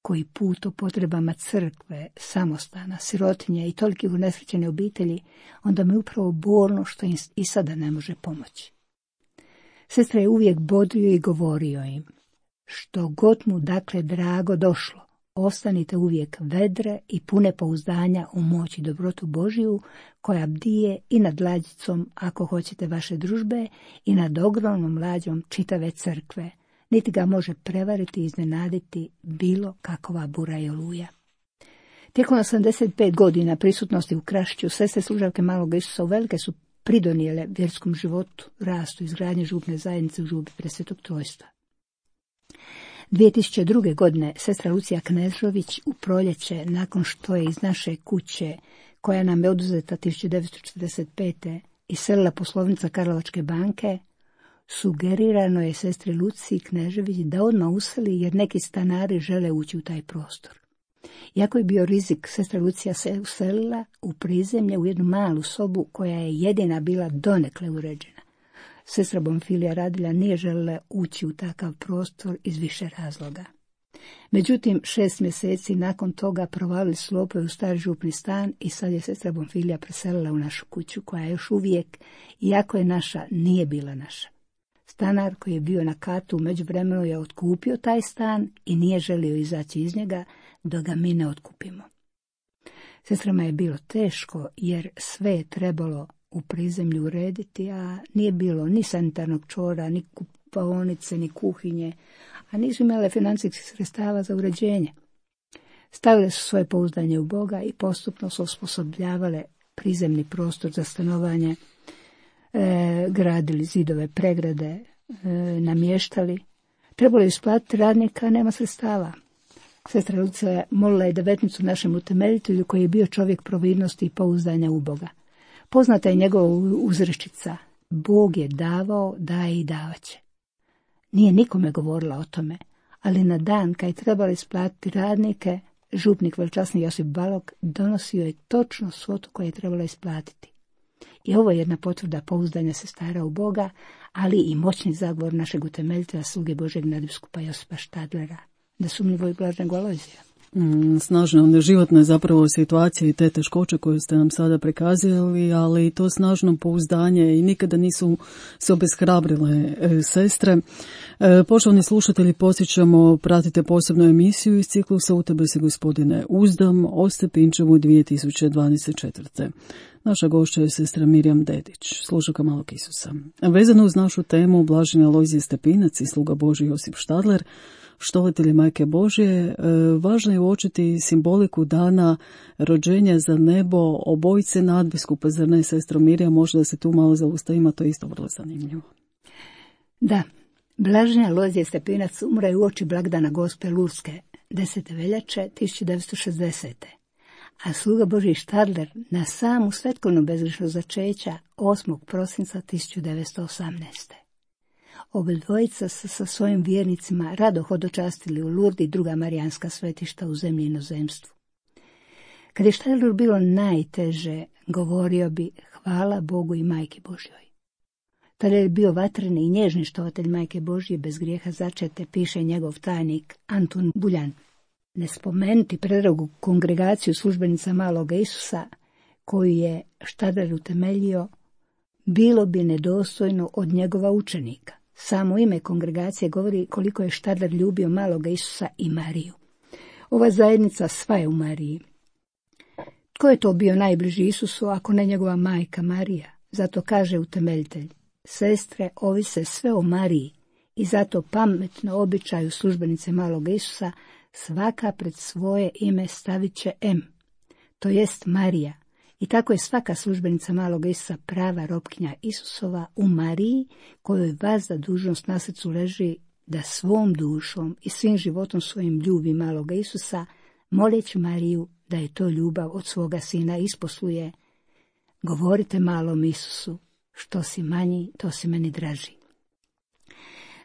koji put o potrebama crkve, samostana, sirotinje i tolikih unesrećene obitelji, onda mi upravo bolno što im i sada ne može pomoći. Sestra je uvijek bodrio i govorio im, što god mu dakle drago došlo, ostanite uvijek vedre i pune pouzdanja u moć i dobrotu Božiju, koja bdije i nad lađicom, ako hoćete, vaše družbe, i nad ogromnom lađom čitave crkve, niti ga može prevariti i iznenaditi bilo kakova bura i oluja. Tijekom 85 godina prisutnosti u Krašiću, sestre Služavke Malog Isusa uvelike su pridonijele vjerskom životu, rastu, izgradnje župne zajednice u župi Presvetog Trojstva. 2002. godine sestra Lucija Knežović u proljeće, nakon što je iz naše kuće, koja nam je oduzeta 1945. iselila poslovnica Karlovačke banke, sugerirano je sestri Luciji Knežević da odmah useli, jer neki stanari žele ući u taj prostor. Iako je bio rizik, sestra Lucija se uselila u prizemlje u jednu malu sobu koja je jedina bila donekle uređena. Sestra Bonfilija Radilja nije željela ući u takav prostor iz više razloga. Međutim, 6 mjeseci nakon toga provalili su lopovi u stari župni stan i sad je sestra Bonfilija preselila u našu kuću, koja još uvijek, iako je naša, nije bila naša. Stanar koji je bio na katu u međuvremenu je otkupio taj stan i nije želio izaći iz njega dok ga mi ne otkupimo. Sestrama je bilo teško, jer sve je trebalo u prizemlju urediti, a nije bilo ni sanitarnog čvora, ni kupaonice, ni kuhinje, a nisu imale financijskih sredstava za uređenje. Stavile su svoje pouzdanje u Boga i postupno su osposobljavale prizemni prostor za stanovanje, gradili zidove, pregrade, namještali. Trebalo je isplatiti radnika, a nema sredstava. Sestra Lucija molila je devetnicu našem utemeljitelju, koji je bio čovjek providnosti i pouzdanja u Boga. Poznata je njegova uzrečica: Bog je davao, daje i davaće. Nije nikome govorila o tome, ali na dan kad je trebalo isplatiti radnike, župnik velčasni Josip Balog donosio je točno svotu koju je trebalo isplatiti. I ovo je jedna potvrda pouzdanja sestara u Boga, ali i moćni zagovor našeg utemeljitelja, sluge Božeg nadbiskupa Josipa Štadlera, nesumnjivo i blaženog Alojzija. Snažna životna je zapravo situacija i te teškoće koje ste nam sada prikazali, ali to snažno pouzdanje i nikada nisu se obeshrabrile sestre. Poštovani slušatelji, podsjećamo, pratite posebnu emisiju iz ciklusa U tebe se, Gospodine, uzdam, o Stepinčevu 2024. Naša gošća je sestra Mirjam Dedić, služavka Malog Isusa. Vezano uz našu temu, blaženi Alojzije Stepinac i sluga Božji Josip Štadler, štovatelji Majke Božje, važno je uočiti simboliku dana rođenja za nebo obojice nadbiskupa, zar ne, sestro Mirja? Možda se tu malo zaustavimo, to je isto vrlo zanimljivo. Da, blaženja Alojzije Stepinac umre uoči blagdana Gospe Lurske, 10. veljače 1960. A sluga Božji Štadler na samu svetkovnu bezgrešnost začeća 8. prosinca 1918. Obadvojica se sa svojim vjernicima rado hodočastili u Lurdi i druga marijanska svetišta u zemlji i inozemstvu. Kad je Štadleru bilo najteže, govorio bi hvala Bogu i Majki Božjoj. Tada je bio vatreni i nježni štovatelj Majke Božje bez grijeha začete, piše njegov tajnik Antun Buljan. Ne spomenuti predragu kongregaciju službenica Maloga Isusa, koju je Štadler utemeljio, bilo bi nedostojno od njegova učenika. Samo ime kongregacije govori koliko je Štadler ljubio Maloga Isusa i Mariju. Ova zajednica sva je u Mariji. Tko je to bio najbliži Isusu, ako ne njegova majka Marija? Zato kaže utemeljitelj: sestre, ovise sve o Mariji, i zato pametno običaju službenice Maloga Isusa svaka pred svoje ime stavit će M, to jest Marija. I tako je svaka službenica Maloga Isusa prava robkinja Isusova u Mariji, kojoj vazda dužnost na srcu leži da svom dušom i svim životom svojim ljubi Maloga Isusa, moleći Mariju da je to ljubav od svoga sina isposluje. Govorite malom Isusu, što si manji, to si meni draži.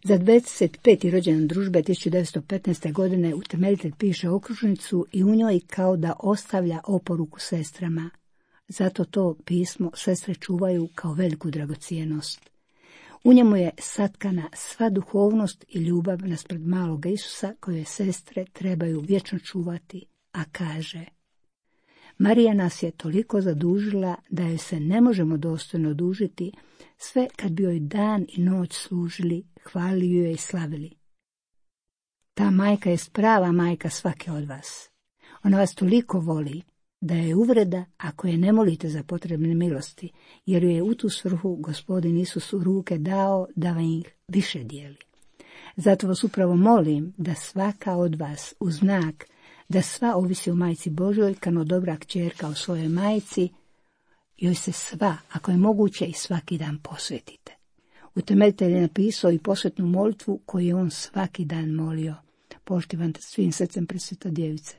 Za 25. rođendan družbe 1915. godine utemeljitelj piše okružnicu i u njoj kao da ostavlja oporuku sestrama. Zato to pismo sestre čuvaju kao veliku dragocijenost. U njemu je satkana sva duhovnost i ljubav naspred Maloga Isusa koje sestre trebaju vječno čuvati, a kaže: Marija nas je toliko zadužila da joj se ne možemo dostojno odužiti, sve kad bi joj dan i noć služili, hvalili joj i slavili. Ta majka je prava majka svake od vas. Ona vas toliko voli da je uvreda ako je ne molite za potrebne milosti, jer joj je u tu svrhu Gospodin Isus u ruke dao da vam ih više dijeli. Zato vas upravo molim da svaka od vas u znak da sva ovisi o Majci Božoj, kao dobra kćerka o svojoj majci, joj se sva, ako je moguće, i svaki dan posvetite. Utemeljitelj je napisao i posvetnu molitvu koju je on svaki dan molio: poštivam te svim srcem presveta djevice.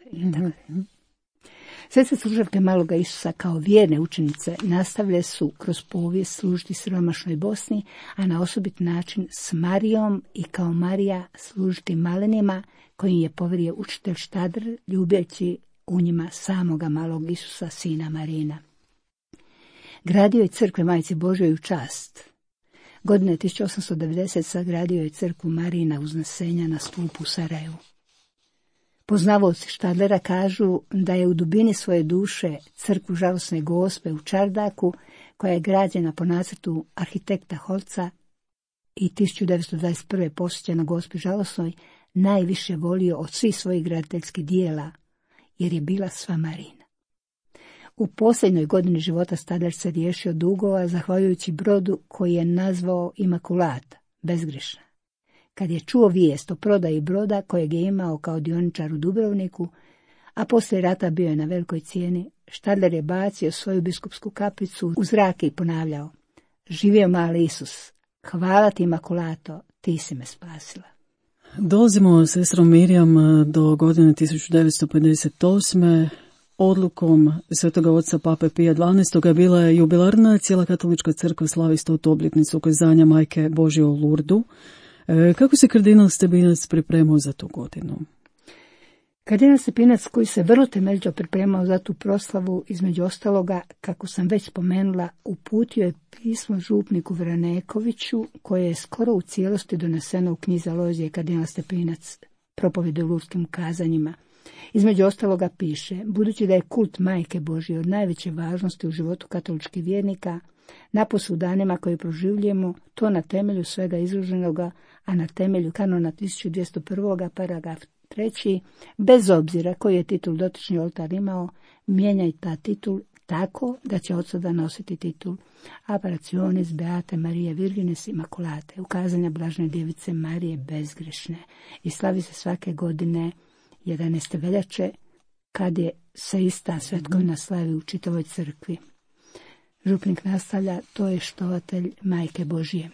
Sestre služavke Maloga Isusa kao vjerne učenice nastavile su kroz povijest služiti siromašnoj Bosni, a na osobit način s Marijom i kao Marija služiti malenima kojim je povjerio učitelj Štadler, ljubeći u njima samoga Malog Isusa, sina Marina. Gradio je crkve Majci Božoj u čast. Godine 1890 sagradio je crkvu Marijina Uznesenja na stupu u Sarajevu. Poznavaoci Štadlera kažu da je u dubini svoje duše crkvu Žalosne Gospe u Čardaku, koja je građena po nacrtu arhitekta Holca i 1921. posvećena Gospi Žalosnoj, najviše volio od svih svojih graditeljskih dijela, jer je bila sva Marina. U posljednjoj godini života Štadler se riješio dugova zahvaljujući brodu koji je nazvao Imakulata, bezgrešna. Kad je čuo vijest o prodaji broda kojeg je imao kao dioničar u Dubrovniku, a poslije rata bio je na velikoj cijeni, Štadler je bacio svoju biskupsku kapicu u zrak i ponavljao: živio mali Isus, hvala ti Imakulato, ti si me spasila. Dolazimo sestrom Mirjam do godine 1958. Odlukom Svetoga oca Pape Pija XII. Bila je jubilarna, cijela katolička crkva slavi 100. obljetnicu ukazanja Majke Božje u Lurdu. Kako se kardinal Stepinac pripremao za tu godinu? Kardinal Stepinac, koji se vrlo temeljito pripremao za tu proslavu, između ostaloga, kako sam već spomenula, uputio je pismo župniku Vranekoviću, koje je skoro u cijelosti doneseno u knjizi Alojzije kardinal Stepinac, propovjedi o lurskim kazanjima. Između ostaloga piše: budući da je kult Majke Božje od najveće važnosti u životu katoličkih vjernika, napose u danima koje proživljujemo, to na temelju svega izloženoga, a na temelju kanona 1201. paragraf 3. bez obzira koji je titul dotični oltar imao, mijenjaj ta titul tako da će od sada nositi titul Apparitionis Beate Marije Virgines Immaculate, ukazanja Blažene djevice Marije bezgrešne, i slavi se svake godine 11. veljače, kad je se ista svetkovina slavi u čitavoj crkvi. Župnik nastavlja, to je štovatelj Majke Božije.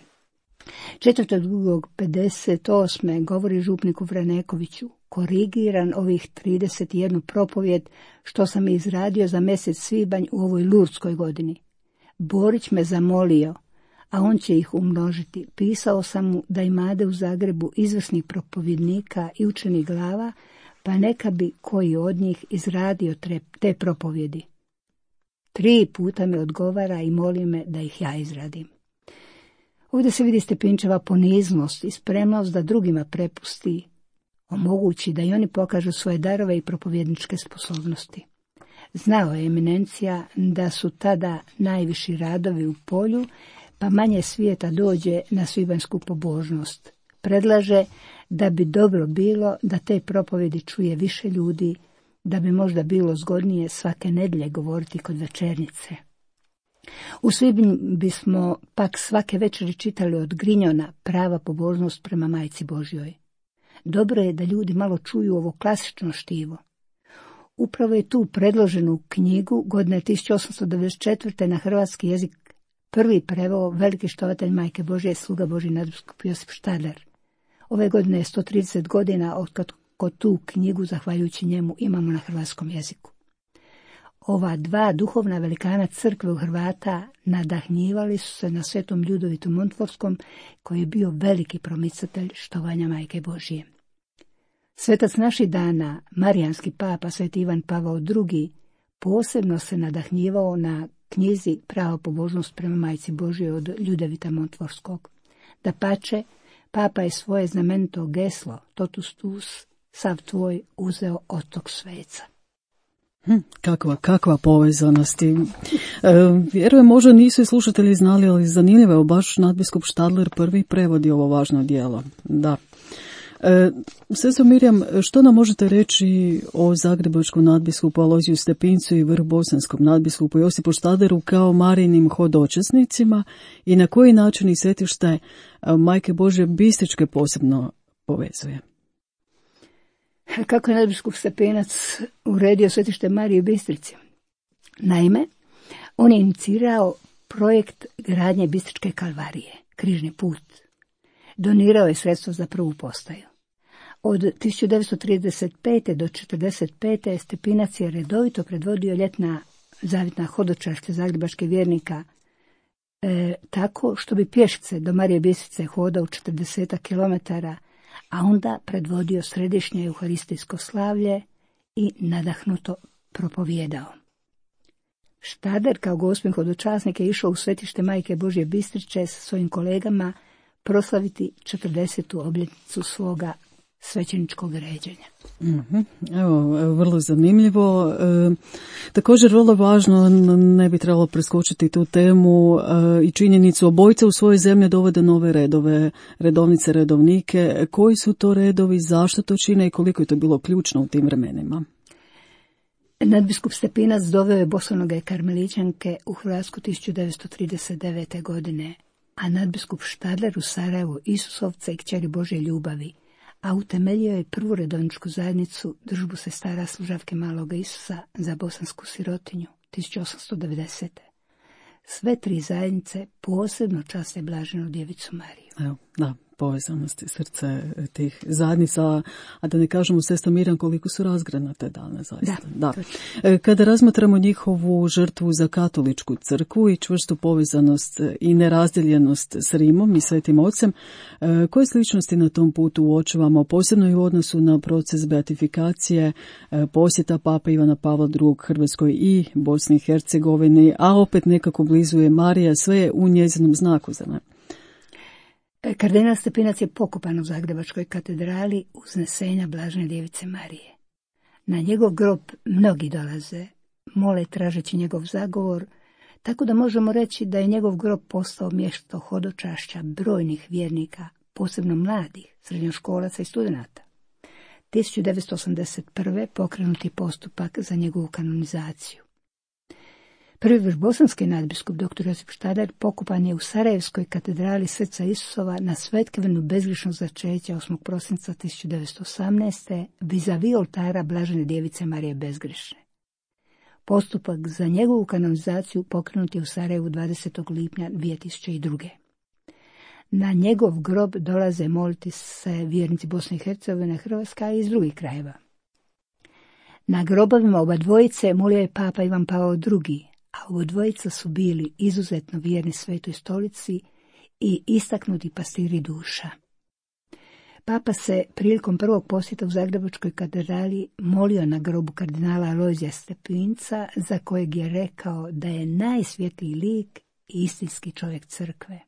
4.2.58. govori župniku Vranekoviću, korigiran ovih 31 propovjed što sam izradio za mjesec svibanj u ovoj Lurdskoj godini. Borić me zamolio, a on će ih umnožiti. Pisao sam mu da imade u Zagrebu izvrsnih propovjednika i učenih glava, pa neka bi koji od njih izradio te propovjedi. 3 puta mi odgovara i moli me da ih ja izradim. Ovdje se vidi Stepinčeva poniznost i spremnost da drugima prepusti, omogući da i oni pokažu svoje darove i propovjedničke sposobnosti. Znao je eminencija da su tada najviši radovi u polju, pa manje svijeta dođe na svibanjsku pobožnost. Predlaže da bi dobro bilo da te propovjedi čuje više ljudi, da bi možda bilo zgodnije svake nedjelje govoriti kod večernjice. U svibnju bismo pak svake večeri čitali od Grinjona prava pobožnost prema Majci Božjoj. Dobro je da ljudi malo čuju ovo klasično štivo. Upravo je tu predloženu knjigu godine 1894. na hrvatski jezik prvi preveo veliki štovatelj Majke Božje, sluga Božji nadbiskup Josip Štadler. Ove godine je 130 godina otkad tu knjigu, zahvaljujući njemu, imamo na hrvatskom jeziku. Ova 2 duhovna velikana crkve u Hrvata nadahnjivali su se na svetom Ljudovitu Montforskom, koji je bio veliki promicatelj štovanja Majke Božije. Svetac naših dana, marijanski papa sveti Ivan Pavao II, posebno se nadahnjivao na knjizi Prava pobožnost prema Majci Božjoj od Ljudevita Montforskog. Dapače, papa je svoje znamenito geslo, totus tuus, sav tvoj, uzeo od tog sveca. Kakva povezanost. Vjerujem, možda nisu i slušatelji znali, ali zanimljivo je, baš nadbiskup Štadler prvi prevodi ovo važno djelo. Da. Sestro Mirjam, što nam možete reći o zagrebačkom nadbiskupu Alojziju Stepincu i vrhbosanskom nadbiskupu Josipu Štadleru kao Marijinim hodočasnicima i na koji način ih svetište Majke Božje Bistričke posebno povezuje? Kako je nadbiskup Stepinac uredio svetište Marije Bistrici? Naime, on je inicirao projekt gradnje Bistričke kalvarije, križni put. Donirao je sredstva za prvu postaju. Od 1935. do 1945. Stepinac je redovito predvodio ljetna zavitna hodočašća zagrebačkih vjernika, tako što bi pješice do Marije Bistrice hodao 40 kilometara, a onda predvodio središnje euharistijsko slavlje i nadahnuto propovijedao. Štadler kao gospin hodočasnik je išao u svetište Majke Božje Bistriče sa svojim kolegama proslaviti 40. obljetnicu svoga svećeničkog ređenja. Evo, vrlo zanimljivo. Također vrlo važno, ne bi trebalo preskočiti tu temu i činjenicu, obojica u svojoj zemlji dovode nove redove, redovnice, redovnike. Koji su to redovi, zašto to čine i koliko je to bilo ključno u tim vremenima? Nadbiskup Stepinac doveo je bosonoge karmelićanke u Hrvatsku 1939. godine, a nadbiskup Štadler u Sarajevu Isusovce i kćeri Božje ljubavi, a utemeljio je prvu redovničku zajednicu Družbu sestara služavke Maloga Isusa za bosansku sirotinju 1890. Sve 3 zajednice posebno časte Blaženu djevicu Mariju. Evo, da, povezanosti srce tih zajednica, a da ne kažemo, sestra Mirjam, koliko su razgranate dane zaista. Da. Kada razmatramo njihovu žrtvu za katoličku crkvu i čvrstu povezanost i nerazdjeljenost s Rimom i Svetim Ocem, koje sličnosti na tom putu uočavamo, posebno i u odnosu na proces beatifikacije, posjeta Pape Ivana Pavla II. Hrvatskoj i Bosni i Hercegovini, a opet nekako blizu je Marija, sve je u njezinom znaku za ne. Kardinal Stepinac je pokopan u Zagrebačkoj katedrali uznesenja Blažene djevice Marije. Na njegov grob mnogi dolaze, mole tražeći njegov zagovor, tako da možemo reći da je njegov grob postao mjesto hodočašća brojnih vjernika, posebno mladih, srednjoškolaca i studenata. 1981. pokrenuti postupak za njegovu kanonizaciju. Prvi vrbosanski nadbiskup dr. Josip Štadler pokopan je u Sarajevskoj katedrali Srca Isusova na svetkevinu bezgrišnog začeća 8. prosinca 1918. vis-a-vis oltara Blažene djevice Marije Bezgrišne. Postupak za njegovu kanonizaciju pokrenut je u Sarajevu 20. lipnja 2002. Na njegov grob dolaze moliti se vjernici Bosne i Hercegovine, Hrvatska i iz drugih krajeva. Na grobovima oba dvojice molio je papa Ivan Pavao II, a oba dvojica su bili izuzetno vjerni Svetoj stolici i istaknuti pastiri duša. Papa se prilikom prvog posjeta u Zagrebačkoj katedrali molio na grobu kardinala Alojzija Stepinca, za kojeg je rekao da je najsvjetliji lik i istinski čovjek crkve.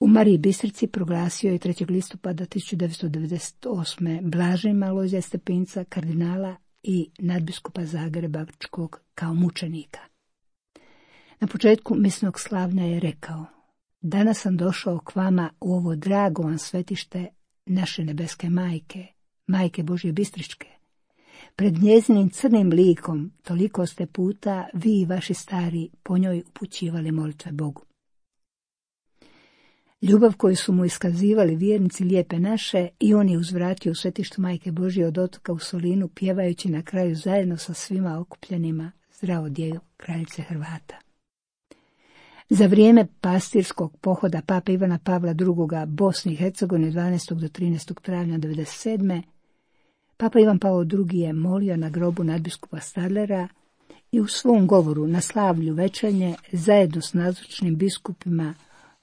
U Mariji Bistrici proglasio je 3. listopada 1998. blaženim Alojzija Stepinca, kardinala i nadbiskupa Zagrebačkog, kao mučenika. Na početku misnog slavlja je rekao: danas sam došao k vama u ovo drago vam svetište naše nebeske majke, majke Božje Bistričke. Pred njezinim crnim likom toliko ste puta vi i vaši stari po njoj upućivali molitve Bogu. Ljubav koju su mu iskazivali vjernici Lijepe naše i on je uzvratio u svetištu Majke Božje od otoka u Solinu, pjevajući na kraju zajedno sa svima okupljenima Zdravo djevo kraljice Hrvata. Za vrijeme pastirskog pohoda pape Ivana Pavla II. Bosni i Hercegovine 12. do 13. travnja 1997. papa Ivan Pavao II. Je molio na grobu nadbiskupa Stadlera i u svom govoru na slavlju večernje zajedno s nazočnim biskupima,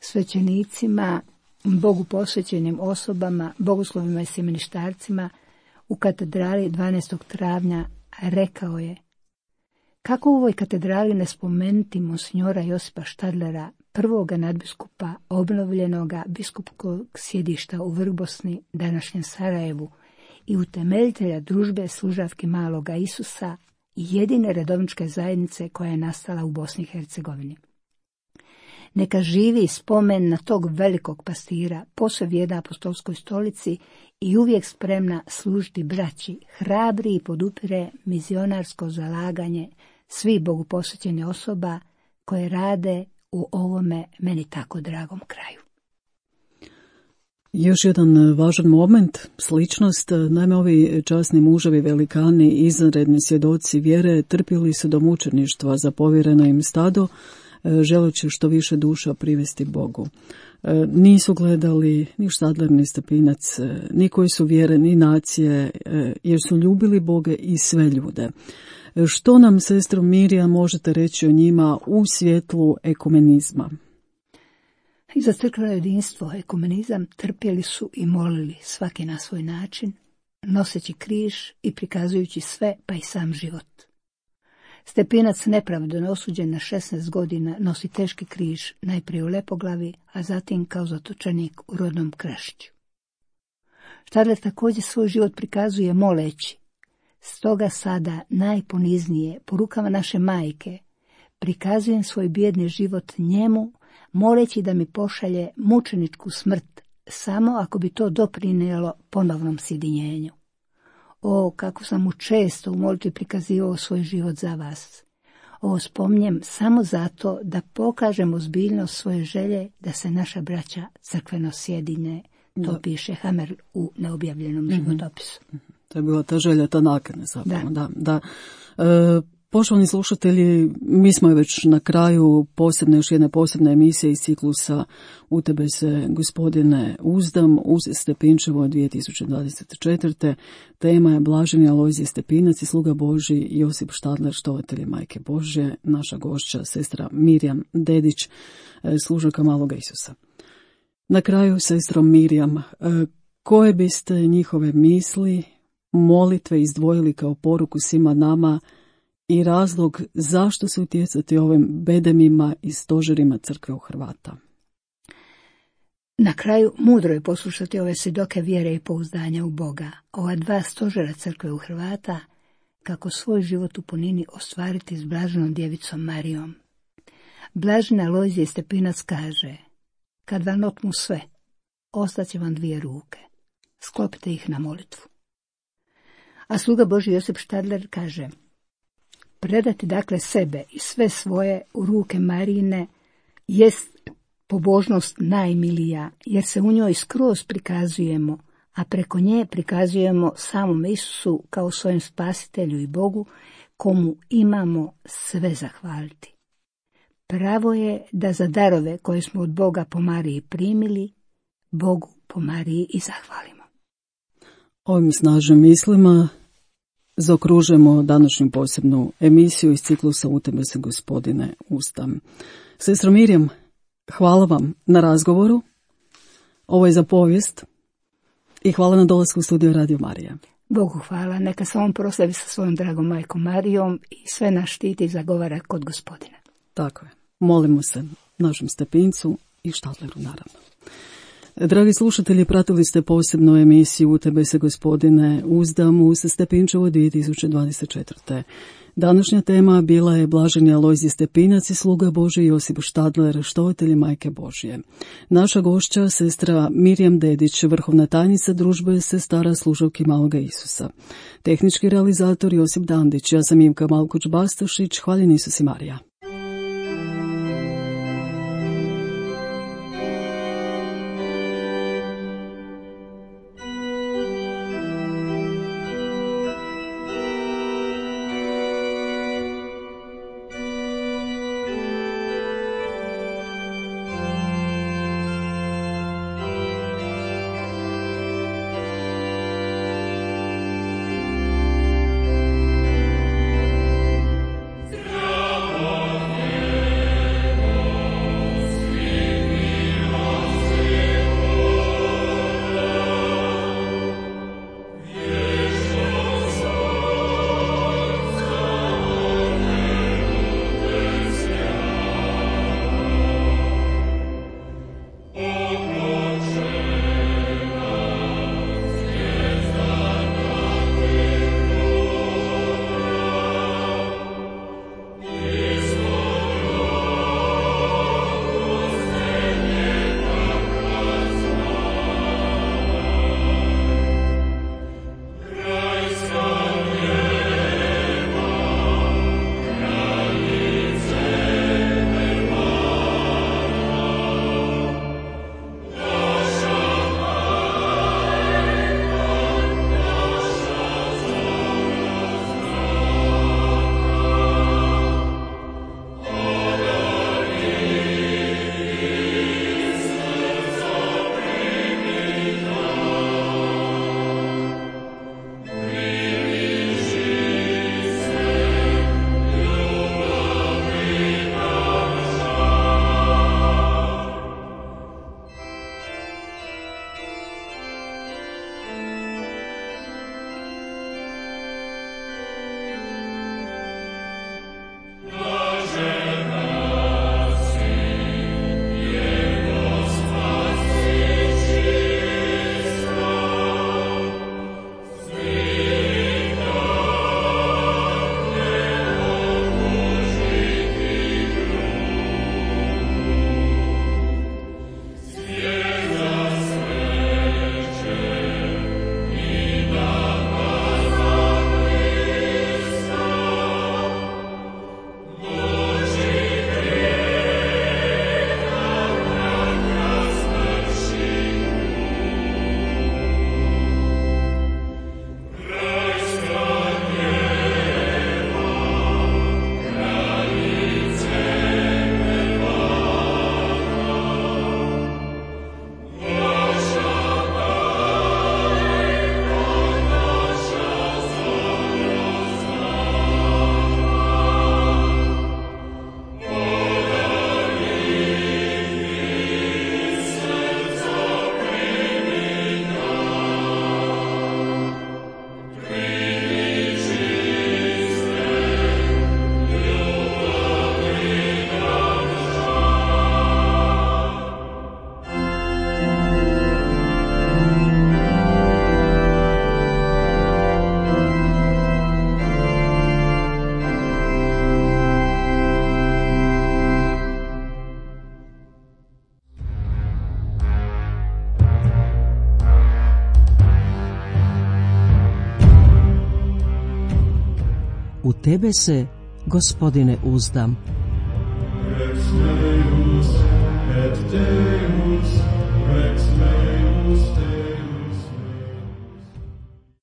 svećenicima, Bogu posvećenim osobama, bogoslovima i semeništarcima u katedrali 12. travnja rekao je: kako u ovoj katedrali ne spomenuti monsignora Josipa Štadlera, prvoga nadbiskupa obnovljenoga biskupskog sjedišta u Vrbosni, današnjem Sarajevu, i utemeljitelja družbe služavki Maloga Isusa i jedine redovničke zajednice koja je nastala u Bosni i Hercegovini. Neka živi spomen na tog velikog pastira, posve vjerna apostolskoj stolici i uvijek spremna služiti braći, hrabri i podupire mizionarsko zalaganje svih Bogu posvećenih osoba koje rade u ovome meni tako dragom kraju. Još jedan važan moment, sličnost, naime ovi časni muževi velikani, izvanredni svjedoci vjere, trpjeli su do mučeništva za povjereno im stado, želeći što više duša privesti Bogu. Nisu gledali ni Štadler, ni Stepinac, ni koji su vjere, ni nacije, jer su ljubili Boga i sve ljude. Što nam, sestro Mirija, možete reći o njima u svjetlu ekumenizma? I za crkveno jedinstvo, ekumenizam, trpjeli su i molili svaki na svoj način, noseći križ i prikazujući sve, pa i sam život. Stepinac, nepravedno osuđen na 16 godina, nosi teški križ, najprije u Lepoglavi, a zatim kao zatočenik u rodnom Krašiću. Štadler također svoj život prikazuje moleći: stoga sada najponiznije po rukama naše majke prikazujem svoj bijedni život njemu, moleći da mi pošalje mučeničku smrt, samo ako bi to doprinijelo ponovnom sjedinjenju. O, kako sam mu često u molitvi prikazivao svoj život za vas. Ovo spominjem samo zato da pokažem ozbiljnost svoje želje da se naša braća crkveno sjedine. To piše Hamer u neobjavljenom životopisu. To je bila ta želja, ta nakana zapravo. Da. Poštovani slušatelji, mi smo već na kraju još jedne posebne emisije iz ciklusa U tebe se, gospodine, uzdam, uz Stepinčevo 2024. Tema je Blaženi Alojzije Stepinac i sluga Božji Josip Štadler, štovatelji Majke Božje, naša gošća, sestra Mirjam Dedić, služaka Maloga Isusa. Na kraju, sestro Mirjam, koje biste njihove misli, molitve izdvojili kao poruku svima nama i razlog zašto se utjecati ovim bedemima i stožerima crkve u Hrvata? Na kraju, mudro je poslušati ove svjedoke vjere i pouzdanja u Boga, ova dva stožera crkve u Hrvata, kako svoj život u punini ostvariti s blaženom djevicom Marijom. Blažena Alojzije Stepinac kaže: kad vam otmu sve, ostaće vam 2 ruke, sklopite ih na molitvu. A sluga Božji Josip Štadler kaže: Predati dakle sebe i sve svoje u ruke Marine jest pobožnost najmilija, jer se u njoj skroz prikazujemo, a preko nje prikazujemo samom Isusu kao svojem spasitelju i Bogu, komu imamo sve zahvaliti. Pravo je da za darove koje smo od Boga po Mariji primili, Bogu po Mariji i zahvalimo. Ovim snažnim mislima zaokružujemo današnju posebnu emisiju iz ciklusa U tebe se, Gospodine, uzdam. Sestro Mirjam, hvala vam na razgovoru. Ovo je za povijest i hvala na dolasku u studio Radio Marija. Bogu hvala, neka se on proslavi sa svojom dragom majkom Marijom i sve nas štiti i zagovara kod Gospodina. Tako je. Molimo se našem Stepincu i Štadleru, naravno. Dragi slušatelji, pratili ste posebnu emisiju U tebe se, Gospodine, uzdam uz Stepinčevo 2024. Današnja tema bila je Blaženi Alojzije Stepinac i sluga Božji Josip Štadler, štovatelj majke Božje. Naša gošća, sestra Mirjam Dedić, vrhovna tajnica družbe sestara služavki Maloga Isusa. Tehnički realizator Josip Dandić, ja sam Ivka Malkuć-Bastašić, hvaljen Isus i Marija. U tebe se, Gospodine uzdam. Rex meus